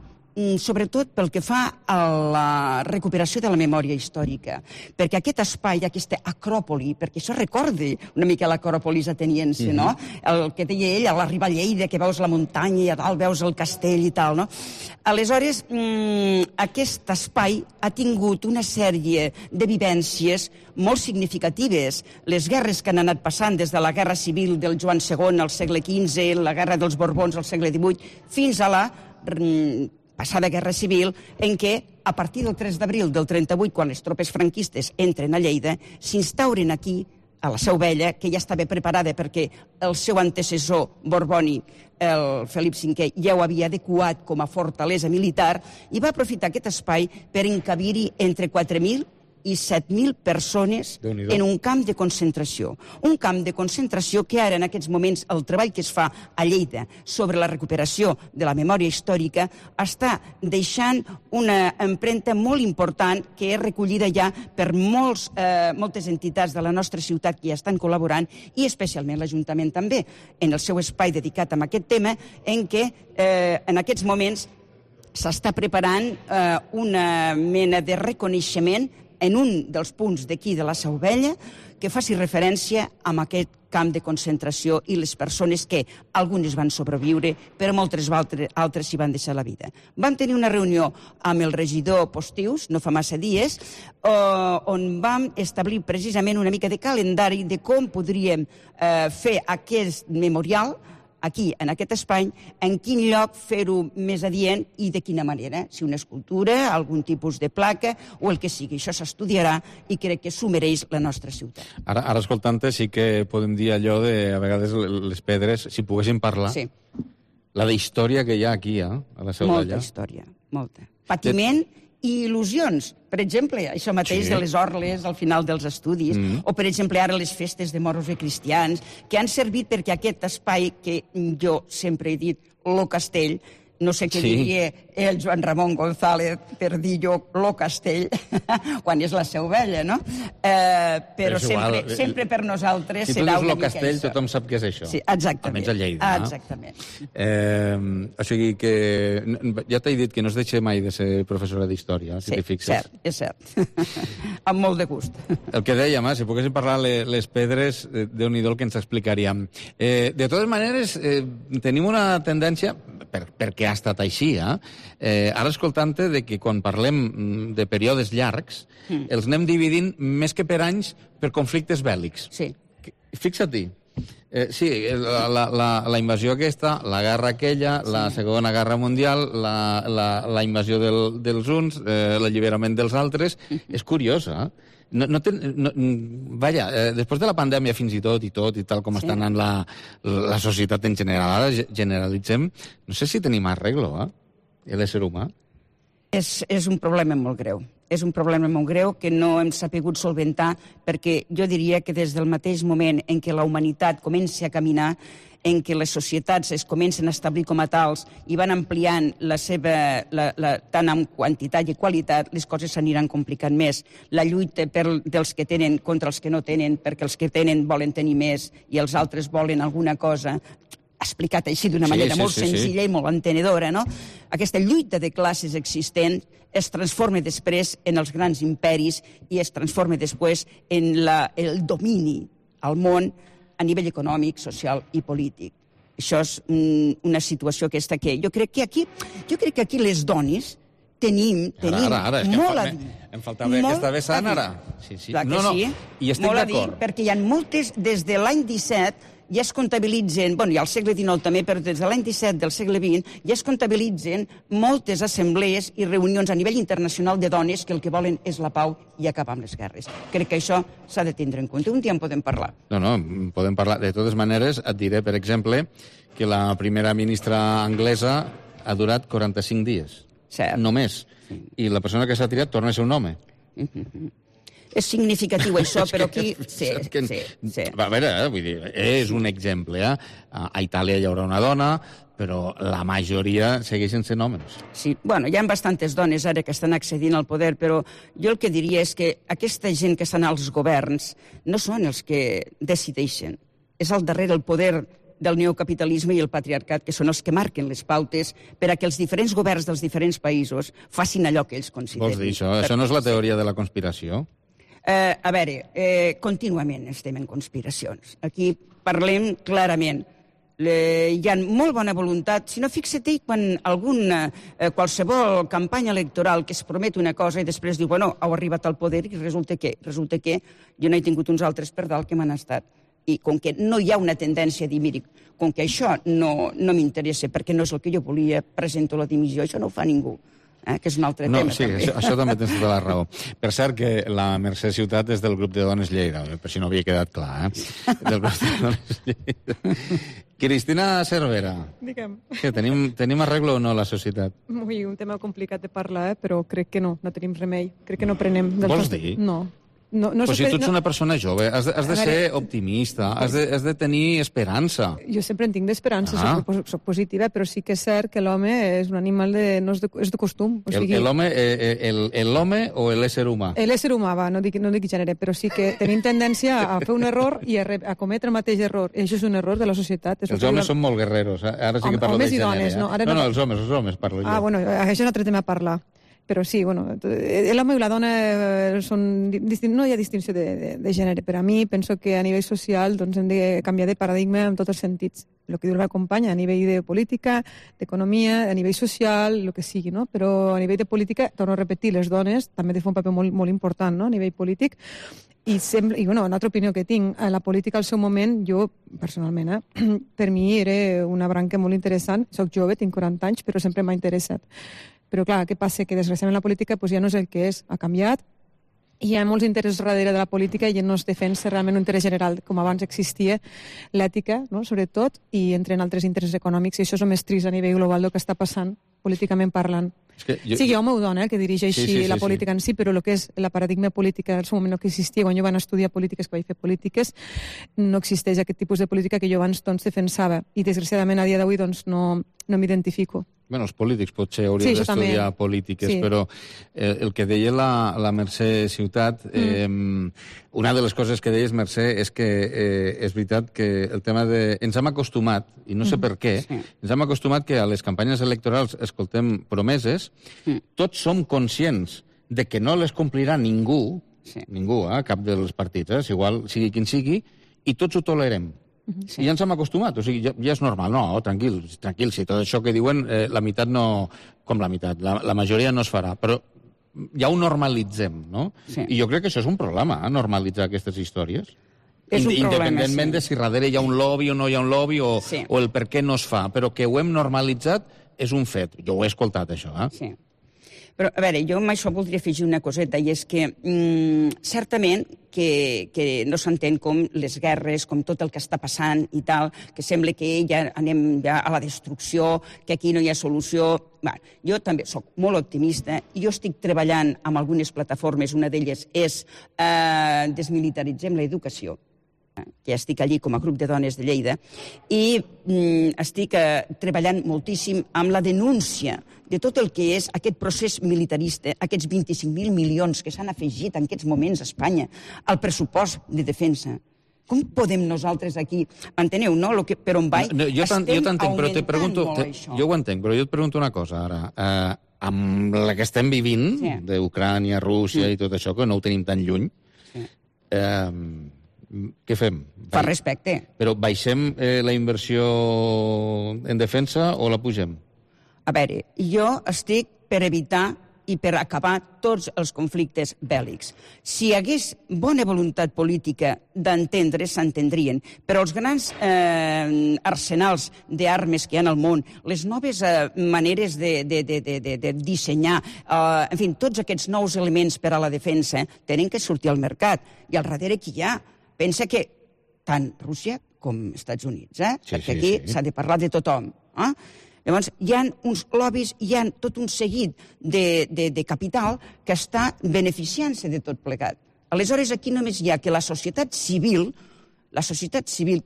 sobretot pel que fa a la recuperació de la memòria històrica. Perquè aquest espai, aquesta acròpoli, perquè això recorda una mica l'acròpolis ateniense, no? El que deia ell, a l'arribar a Lleida, que veus la muntanya i a dalt veus el castell i tal, no? Aleshores, aquest espai ha tingut una sèrie de vivències molt significatives. Les guerres que han anat passant des de la Guerra Civil del Joan II al segle XV, la Guerra dels Borbons al segle XVIII, fins a la passada Guerra Civil, en què, a partir del 3 d'abril del 38, quan les tropes franquistes entren a Lleida, s'instauren aquí, a la Seu Vella, que ja estava preparada perquè el seu antecessor borbònic, el Felip V, ja ho havia adequat com a fortalesa militar, i va aprofitar aquest espai per encabir-hi entre 4.000 i 7.000 persones en un camp de concentració. Un camp de concentració que ara, en aquests moments, el treball que es fa a Lleida sobre la recuperació de la memòria històrica està deixant una empremta molt important que és recollida ja per moltes entitats de la nostra ciutat que hi estan col·laborant i especialment l'Ajuntament també, en el seu espai dedicat a aquest tema, en què en aquests moments s'està preparant una mena de reconeixement en un dels punts d'aquí de la Seu Vella que faci referència a aquest camp de concentració i les persones que algunes van sobreviure, però moltes altres s'hi van deixar la vida. Vam tenir una reunió amb el regidor Postius, no fa massa dies, on vam establir precisament una mica de calendari de com podríem fer aquest memorial aquí, en aquest espai, en quin lloc fer-ho més adient i de quina manera. Si una escultura, algun tipus de placa o el que sigui. Això s'estudiarà i crec que s'ho mereix la nostra ciutat. Ara escoltant-te, sí que podem dir allò de, a vegades, les pedres, si poguéssim parlar, la d'història que hi ha aquí, a la Seu Vella. Molta història, molta. Patiment i il·lusions. Per exemple, això mateix de les orles al final dels estudis, o per exemple ara les festes de moros i cristians, que han servit perquè aquest espai que jo sempre he dit, lo castell, no sé què diria el Joan Ramon González per dir jo lo castell, quan és la Seu Vella, no? Però sempre per nosaltres serà una mica això. Si tu dius lo castell, tothom sap què és això. Sí, exactament. Almenys a Lleida. Exactament. O sigui que ja t'he dit que no es deixa mai de ser professora d'història, si t'hi fixes. Sí, és cert. Amb molt de gust. El que dèiem, si poguéssim parlar les pedres, Déu-n'hi-do el que ens explicaríem. De totes maneres, tenim una tendència, perquè ha estat així, ara escoltant-te que quan parlem de períodes llargs, els anem dividint més que per anys per conflictes bèl·lics. Sí. Fixa't-hi. Sí, la invasió aquesta, la guerra aquella, la Segona Guerra Mundial, la invasió dels uns, l'alliberament dels altres, és curiosa. Vaja, després de la pandèmia fins i tot, i tal com està anant la societat en general, ara generalitzem, no sé si tenim arreglo, l'ésser humà. És un problema molt greu. És un problema molt greu que no hem sapigut solventar, perquè jo diria que des del mateix moment en què la humanitat comença a caminar, en què les societats es comencen a establir com a tals i van ampliant la seva, tant en quantitat i qualitat, les coses s'aniran complicant més. La lluita dels que tenen contra els que no tenen, perquè els que tenen volen tenir més i els altres volen alguna cosa, explicat així d'una manera molt senzilla i molt entenedora, no? Aquesta lluita de classes existent es transforma després en els grans imperis i es transforma després en el domini al món a nivell econòmic, social i polític. Això és una situació aquesta que jo crec que aquí les dones tenim molt a dir. Em faltava aquesta vessant ara. Clar que sí, molt a dir, perquè hi ha moltes, des de l'any 17, ja es comptabilitzen, bueno, i al segle XIX també, però des de l'any 17 del segle XX ja es comptabilitzen moltes assemblees i reunions a nivell internacional de dones que el que volen és la pau i acabar amb les guerres. Crec que això s'ha de tindre en compte. Un dia en podem parlar. No, podem parlar. De totes maneres, et diré, per exemple, que la primera ministra anglesa ha durat 45 dies. Cert. Només. I la persona que s'ha tirat torna a ser un home. És significatiu això, però aquí... Sí. A veure, vull dir, és un exemple. A Itàlia hi haurà una dona, però la majoria segueixen sent homes. Sí, bueno, hi ha bastantes dones ara que estan accedint al poder, però jo el que diria és que aquesta gent que estan als governs no són els que decideixen. És al darrere el poder del neocapitalisme i el patriarcat, que són els que marquen les pautes per a que els diferents governs dels diferents països facin allò que ells consideren. Vols dir això? Això no és la teoria de la conspiració? A veure, contínuament estem en conspiracions. Aquí parlem clarament. Hi ha molt bona voluntat. Si no, fixa-t'hi quan qualsevol campanya electoral que es promet una cosa i després diu, bueno, heu arribat al poder i resulta que jo no he tingut uns altres per dalt que m'han estat. I com que no hi ha una tendència a dir, miri, com que això no m'interessa perquè no és el que jo volia, presento la dimissió, això no ho fa ningú. Que és un altre tema. Sí, també. això també tens tota la raó. Per cert, que la Mercè Ciutat és del grup de dones Lleida, per si no havia quedat clar, del grup de dones Lleida. Cristina Cervera. Digue'm. Què, tenim arreglo o no a la societat? Ui, un tema complicat de parlar, però crec que no tenim remei. Crec que no prenem... Vols dir? No. Però si tu ets una persona jove, has de ser optimista, has de tenir esperança. Jo sempre en tinc d'esperança, soc positiva, però sí que és cert que l'home és un animal és de costum. L'home o l'ésser humà? L'ésser humà, no dic gènere, però sí que tenim tendència a fer un error i a cometre el mateix error. I això és un error de la societat. Els homes són molt guerreros, ara sí que parlo de gènere. No, els homes parlo jo. Bueno, això és un altre tema a parlar. Però sí, l'home i la dona no hi ha distinció de gènere. Per a mi, penso que a nivell social hem de canviar de paradigma en tots els sentits. El que diu la companya, a nivell de política, d'economia, a nivell social, el que sigui, no? Però a nivell de política, torno a repetir, les dones també de fer un paper molt important, no?, a nivell polític. I una altra opinió que tinc, la política al seu moment, jo, personalment, per mi era una branca molt interessant. Soc jove, tinc 40 anys, però sempre m'ha interessat. Però clar, què passa? Que desgraciadament la política ja no és el que és, ha canviat, hi ha molts interessos darrere de la política i no es defensa realment un interès general, com abans existia l'ètica, no?, sobretot, i entren altres interessos econòmics, i això és el més trist a nivell global del que està passant, políticament parlant. Sigui home o dona, que dirigeixi la política en si, però el que és la paradigma política en el seu moment no que existia, quan jo van estudiar polítiques, que vaig fer polítiques, no existeix aquest tipus de política que jo abans defensava, i desgraciadament a dia d'avui no m'identifico. Els polítics potser haurien d'estudiar polítiques, però el que deia la Mercè Ciutat, una de les coses que deies, Mercè, és que és veritat que el tema de... Ens hem acostumat, i no sé per què, ens hem acostumat que a les campanyes electorals escoltem promeses, tots som conscients de que no les complirà ningú, cap dels partits, igual sigui quin sigui, i tots ho tolerem. I ja ens hem acostumat, o sigui, ja és normal. No, tranquil, si tot això que diuen, la meitat no... Com la meitat? La majoria no es farà, però ja ho normalitzem, no? I jo crec que això és un problema, normalitzar aquestes històries. Independentment de si darrere hi ha un lobby o no hi ha un lobby, o el per què no es fa, però que ho hem normalitzat és un fet. Jo ho he escoltat, això, Sí. Però, a veure, jo amb això voldria afegir una coseta, i és que certament que no s'entén com les guerres, com tot el que està passant i tal, que sembla que ja anem ja a la destrucció, que aquí no hi ha solució. Bé, jo també sóc molt optimista i jo estic treballant amb algunes plataformes, una d'elles és Desmilitaritzem l'educació, que estic allí com a grup de dones de Lleida, i estic treballant moltíssim amb la denúncia de tot el que és aquest procés militarista, aquests 25.000 milions que s'han afegit en aquests moments a Espanya al pressupost de defensa. Com podem nosaltres aquí, enteneu, no? Per on vaig, estem augmentant molt això. Jo ho entenc, però jo et pregunto una cosa ara. Amb la que estem vivint, d'Ucrània, Rússia i tot això, que no ho tenim tan lluny, què fem? Per respecte. Però baixem la inversió en defensa o la pugem? A veure, jo estic per evitar i per acabar tots els conflictes bèl·lics. Si hi hagués bona voluntat política d'entendre, s'entendrien. Però els grans arsenals d'armes que hi ha al món, les noves maneres de dissenyar, en fi, tots aquests nous elements per a la defensa tenen que sortir al mercat. I al darrere qui hi ha? Pensa que tant Rússia com Estats Units, perquè aquí s'ha de parlar de tothom. Llavors, hi ha uns lobbies, hi ha tot un seguit de capital que està beneficiant-se de tot plegat. Aleshores, aquí només hi ha que la societat civil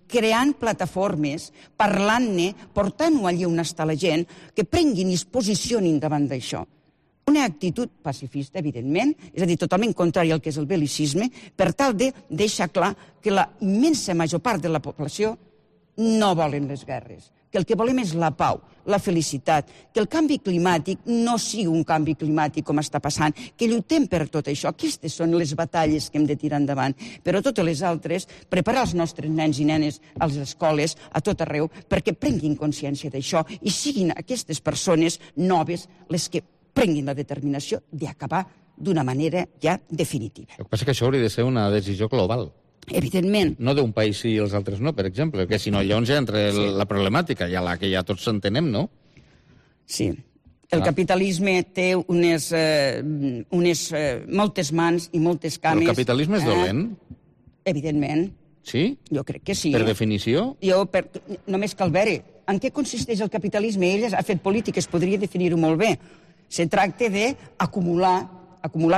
creant plataformes, parlant-ne, portant-ho allà on està la gent, que prenguin i es posicionin davant d'això. Una actitud pacifista, evidentment, és a dir, totalment contrària al que és el bel·licisme, per tal de deixar clar que la immensa major part de la població no volen les guerres, que el que volem és la pau, la felicitat, que el canvi climàtic no sigui un canvi climàtic com està passant, que lluitem per tot això. Aquestes són les batalles que hem de tirar endavant. Però totes les altres, preparar els nostres nens i nenes a les escoles, a tot arreu, perquè prenguin consciència d'això i siguin aquestes persones noves les que prenguin la determinació d'acabar d'una manera ja definitiva. El que passa és que això hauria de ser una decisió global. Evidentment. No d'un país sí i els altres no, per exemple, perquè si no llavors ja entra la problemàtica, ja la que ja tots entenem, no? Sí. El capitalisme té moltes mans i moltes cames. El capitalisme és dolent? Evidentment. Sí? Jo crec que sí. Per definició? Només cal veure. En què consisteix el capitalisme? Ell ha fet polítiques, podria definir-ho molt bé. Se tracta d'acumular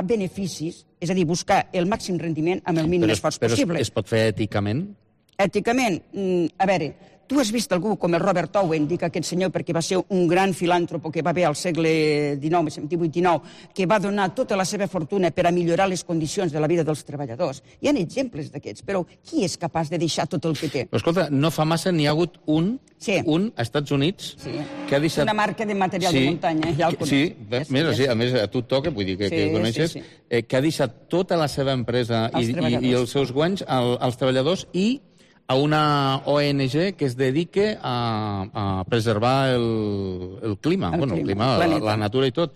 beneficis, és a dir, buscar el màxim rendiment amb el mínim esforç possible. Però es pot fer èticament? Èticament, a veure, tu has vist algú com el Robert Owen, dic aquest senyor perquè va ser un gran filàntropo que va haver al segle XVIII, que va donar tota la seva fortuna per a millorar les condicions de la vida dels treballadors. Hi ha exemples d'aquests, però qui és capaç de deixar tot el que té? Però escolta, no fa massa n'hi ha hagut un a Estats Units que ha deixat... Una marca de material de muntanya, ja el conec. Sí, a més, a tu et toca, vull dir que ho coneixes, que ha deixat tota la seva empresa i els seus guanys als treballadors i a una ONG que es dedique a preservar el clima, la natura i tot.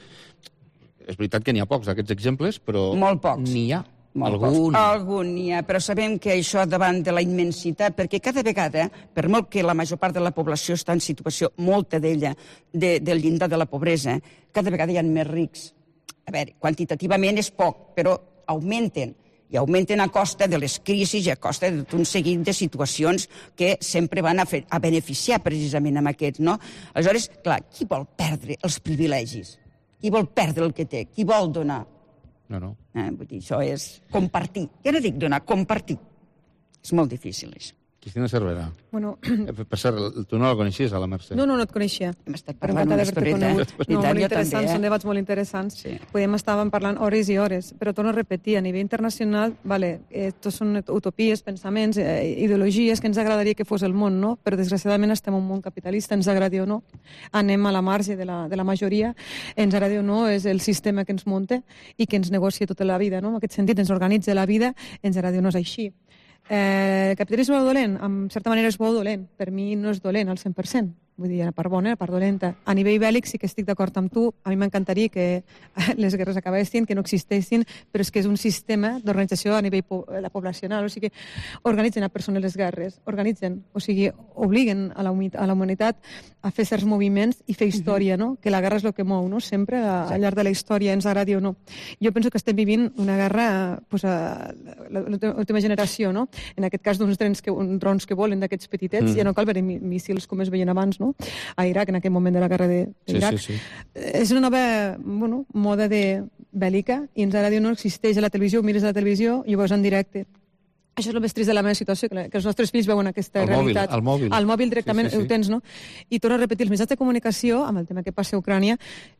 És veritat que n'hi ha pocs d'aquests exemples, però n'hi ha. Algun n'hi ha, però sabem que això davant de la immensitat, perquè cada vegada, per molt que la major part de la població està en situació, molta d'ella, del llindar de la pobresa, cada vegada hi ha més rics. A veure, quantitativament és poc, però augmenten. I augmenten a costa de les crisis i a costa de tot un seguit de situacions que sempre van a beneficiar precisament amb aquests, no? Aleshores, clar, qui vol perdre els privilegis? Qui vol perdre el que té? Qui vol donar? No. Vull dir, això és compartir. Ja no dic donar, compartir. És molt difícil, això. Cristina Cervera. Bueno... Per cert, tu no la coneixies, a la Mercè? No et coneixia. Hem estat parlant una estoreta. Molt interessants, són debats molt interessants. Estàvem parlant hores i hores, però torno a repetir, a nivell internacional, tots són utopies, pensaments, ideologies que ens agradaria que fos el món, no? Però desgraciadament estem en un món capitalista, ens agradi o no. Anem a la marge de la majoria, ens agradi o no, és el sistema que ens munta i que ens negocia tota la vida, no? En aquest sentit, ens organitza la vida, ens agradi o no és així. El capitalisme és dolent? En certa manera és bo o dolent. Per mi no és dolent al 100%. Vull dir, a part bona, a part dolenta. A nivell bèl·lic sí que estic d'acord amb tu. A mi m'encantaria que les guerres acabessin, que no existeixin, però és que és un sistema d'organització a nivell poblacional. O sigui, organitzen a persones les guerres, o sigui, obliguen a la humanitat a fer certs moviments i fer història, no? Que la guerra és el que mou, no? Sempre al llarg de la història, ens agradi o no. Jo penso que estem vivint una guerra a l'última generació, no? En aquest cas d'uns drons que volen d'aquests petitets, ja no cal veure míssils com es veien abans, no? A Iraq, en aquell moment de la guerra d'Iraq. És una nova moda bèl·lica i ens agradi o no existeix a la televisió, mires a la televisió i ho veus en directe. Això és el més trist de la meva situació, que els nostres fills veuen aquesta realitat. Al mòbil. Al mòbil directament ho tens, no? I torno a repetir, els mitjans de comunicació, amb el tema que passa a Ucrània,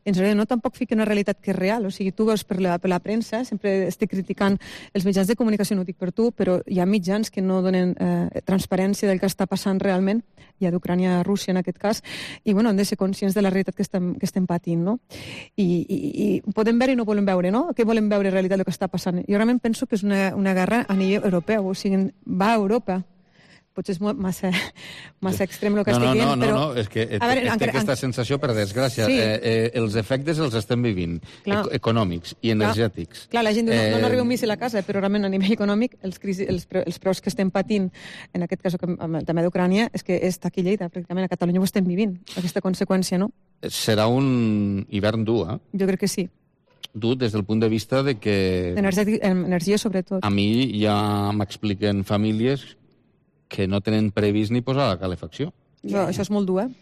ens no tampoc fiquen una realitat que és real. O sigui, tu veus per la premsa, sempre estic criticant els mitjans de comunicació, no ho dic per tu, però hi ha mitjans que no donen transparència del que està passant realment, hi ha d'Ucrània a Rússia en aquest cas, i bueno, hem de ser conscients de la realitat que estem patint, no? I podem veure i no volem veure, no? Què volem veure en realitat el que està passant? Jo realment penso que és una guerra a nivell europeu, o sigui, va a Europa. Potser és massa extrem el que estic dient, però... No, és que té aquesta sensació, per desgràcia. Els efectes els estem vivint, econòmics i energètics. Clar, la gent diu, no arriba un míssil a casa, però realment a nivell econòmic els preus que estem patint, en aquest cas amb el tema d'Ucrània, és que està aquí a Lleida, pràcticament a Catalunya ho estem vivint, aquesta conseqüència, no? Serà un hivern dur, eh? Jo crec que sí. Dur des del punt de vista de que... Energia, sobretot. A mi ja m'expliquen famílies que no tenen previst ni posar la calefacció. Això és molt dur, eh?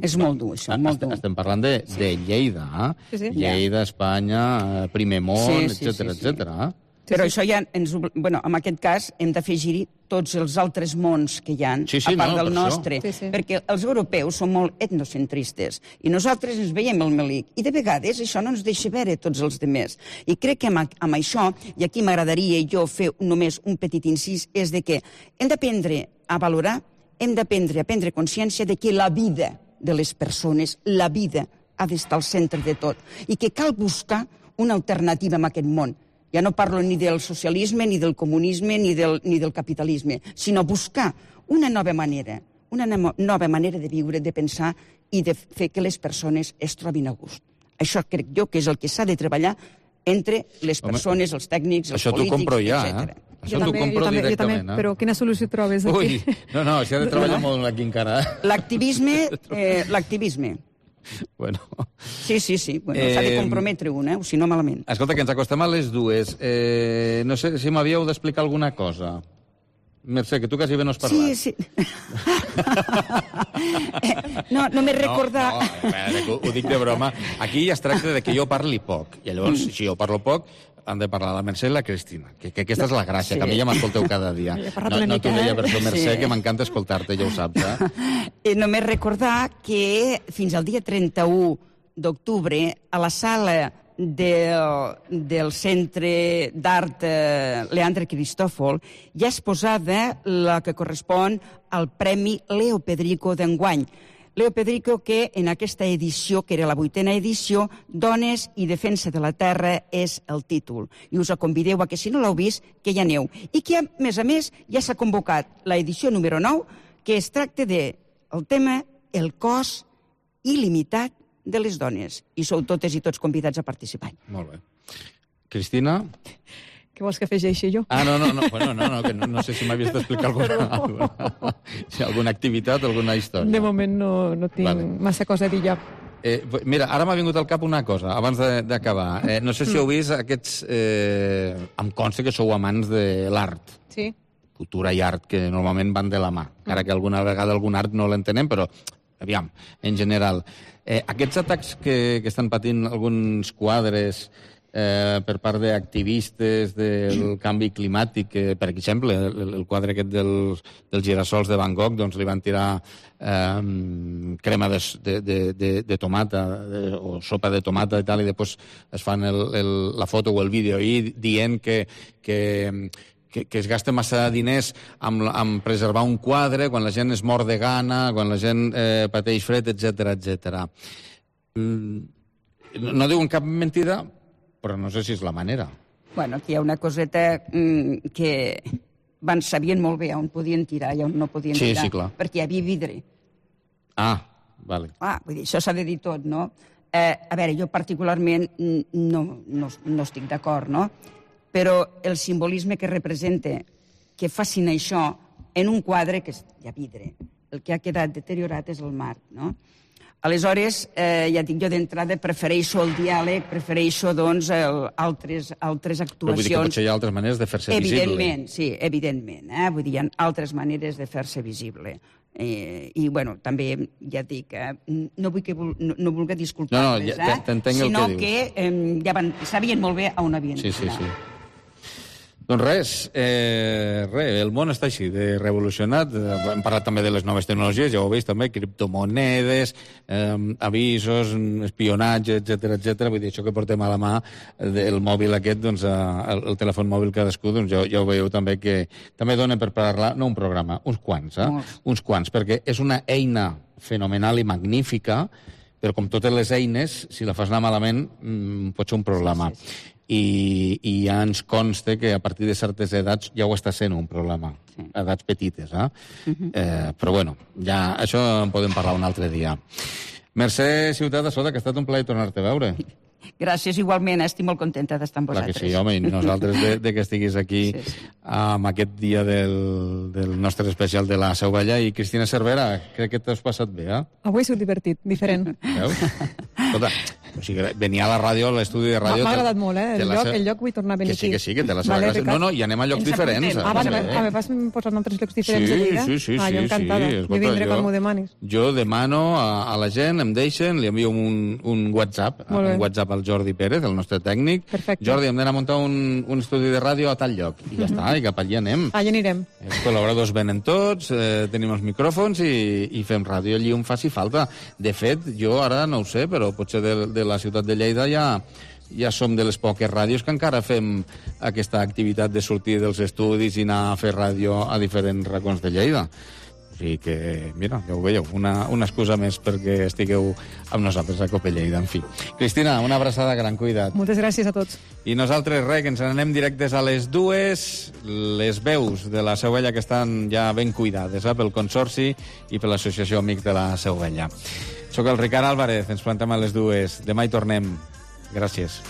És molt dur, això, molt dur. Estem parlant de Lleida, eh? Sí. Lleida, Espanya, Primer Món, etcètera. Però això ja en aquest cas hem d'afegir-hi tots els altres mons que hi ha, a part del nostre, perquè els europeus són molt etnocentristes i nosaltres ens veiem el melic i de vegades això no ens deixa veure tots els demés. I crec que amb això, i aquí m'agradaria jo fer només un petit incís, és de que hem d'aprendre a valorar, hem d'aprendre a prendre consciència de que la vida de les persones, la vida ha d'estar al centre de tot i que cal buscar una alternativa en aquest món. Ja no parlo ni del socialisme, ni del comunisme, ni del capitalisme, sinó buscar una nova manera de viure, de pensar i de fer que les persones es trobin a gust. Això crec jo que és el que s'ha de treballar entre les persones, els tècnics, els polítics, etc. Això t'ho compro ja, Això t'ho compro directament. Jo també, però quina solució trobes aquí? Ui, no, s'hi ha de treballar molt aquí encara. L'activisme. Bueno. Sí. Bueno, s'ha de comprometre un, o si no malament. Escolta, que ens acostem a les dues. No sé si m'havíeu d'explicar alguna cosa. Mercè, que tu quasi bé no has parlat. Sí. No m'he recordat... No, ho dic de broma. Aquí ja es tracta de que jo parli poc. I llavors, si jo parlo poc, han de parlar la Mercè i la Cristina. Que aquesta és la gràcia, que a mi ja m'escolteu cada dia. No t'ho deia per això, Mercè, que m'encanta escoltar-te, ja ho saps, eh? Només recordar que fins al dia 31 d'octubre, a la sala del Centre d'Art Leandre Cristòfol ja és posada la que correspon al Premi Leo Pedrico d'enguany. Leo Pedrico, que en aquesta edició, que era la 8a edició, Dones i defensa de la terra és el títol. I us convideu a que, si no l'heu vist, que hi aneu. I que, a més, ja s'ha convocat l'edició número 9, que es tracta del tema El cos il·limitat de les dones. I sou totes i tots convidats a participar. Molt bé. Cristina? Què vols que afegeixi jo? No, que no sé si m'havies d'explicar alguna activitat, alguna història. De moment no tinc massa cosa a dir ja. Mira, ara m'ha vingut al cap una cosa, abans d'acabar. No sé si heu vist aquests... Em consta que sou amants de l'art. Sí. Cultura i art, que normalment van de la mà. Encara que alguna vegada algun art no l'entenem, però, aviam, en general. Aquests atacs que estan patint alguns quadres per part d'activistes del canvi climàtic, per exemple, el quadre aquest dels girassols de Van Gogh, doncs li van tirar crema de tomata o sopa de tomata i tal, i després es fan la foto o el vídeo i dient que es gasta massa diners en preservar un quadre quan la gent es mor de gana, quan la gent pateix fred, etc. No diuen cap mentida, però no sé si és la manera. Bueno, aquí hi ha una coseta que sabien molt bé on podien tirar i on no podien tirar. Sí, clar. Perquè hi havia vidre. Vale. Vull dir, això s'ha de dir tot, no? A veure, jo particularment no estic d'acord, no? Però el simbolisme que representa que facin això en un quadre que hi ha vidre, el que ha quedat deteriorat és el marc, no? Aleshores, ja dic jo d'entrada, prefereixo el diàleg, prefereixo, doncs, altres actuacions. Però vull dir que potser hi ha altres maneres de fer-se visible. Evidentment, sí, evidentment. Vull dir, hi ha altres maneres de fer-se visible. I, bueno, també, ja dic, no vull disculpar-les, sinó que ja sabien molt bé on havien d'anar. Sí. Doncs res, el món està així, de revolucionat. Hem parlat també de les noves tecnologies, ja ho veus també, criptomonedes, avisos, espionatge, etc. Vull dir, això que portem a la mà, el mòbil aquest, doncs, el telèfon mòbil cadascú, doncs ja ho veieu també que també dona per parlar, no un programa, uns quants, perquè és una eina fenomenal i magnífica, però com totes les eines, si la fas anar malament, pot ser un problema. I ja ens consta que a partir de certes edats ja ho està sent un problema, edats petites, però bueno, ja això en podem parlar un altre dia. Mercè Ciutat de Soda, que ha estat un plaer tornar-te a veure. Gràcies, igualment, estic molt contenta d'estar amb vosaltres. Clar que sí, home, i nosaltres de que estiguis aquí amb aquest dia del nostre especial de la Seu Vella. I Cristina Cervera, crec que t'has passat bé, Avui ha sigut divertit, diferent. Veus? Escolta, o sigui, venir a la ràdio, a l'estudi de ràdio... M'ha agradat molt, el lloc vull tornar a venir aquí. Que sí, que té la seva gràcia. No, i anem a llocs diferents. Vas posar altres llocs diferents de Lleida? Sí. Jo encantada, jo vindré quan m'ho demanis. Jo demano a la gent, em deixen, li envio un WhatsApp al Jordi Pérez, el nostre tècnic. Jordi, hem d'anar a muntar un estudi de ràdio a tal lloc. I ja està, i cap allà anem. Allà anirem. Els col·laboradors venen tots, tenim els micròfons i fem ràdio allí on faci falta. De fet, jo ara no ho sé, però potser de la ciutat de Lleida ja som de les poques ràdios que encara fem aquesta activitat de sortir dels estudis i anar a fer ràdio a diferents racons de Lleida. O sigui que, mira, ja ho veieu, una excusa més perquè estigueu amb nosaltres a Cope Lleida, en fi. Cristina, una abraçada, gran cuida't. Moltes gràcies a tots. I nosaltres, que ens n'anem directes a les 2, les veus de la Seu Vella que estan ja ben cuidades pel Consorci i per l'Associació Amics de la Seu Vella. Soc el Ricard Álvarez, ens plantem a les 2. Demà hi tornem. Gràcies.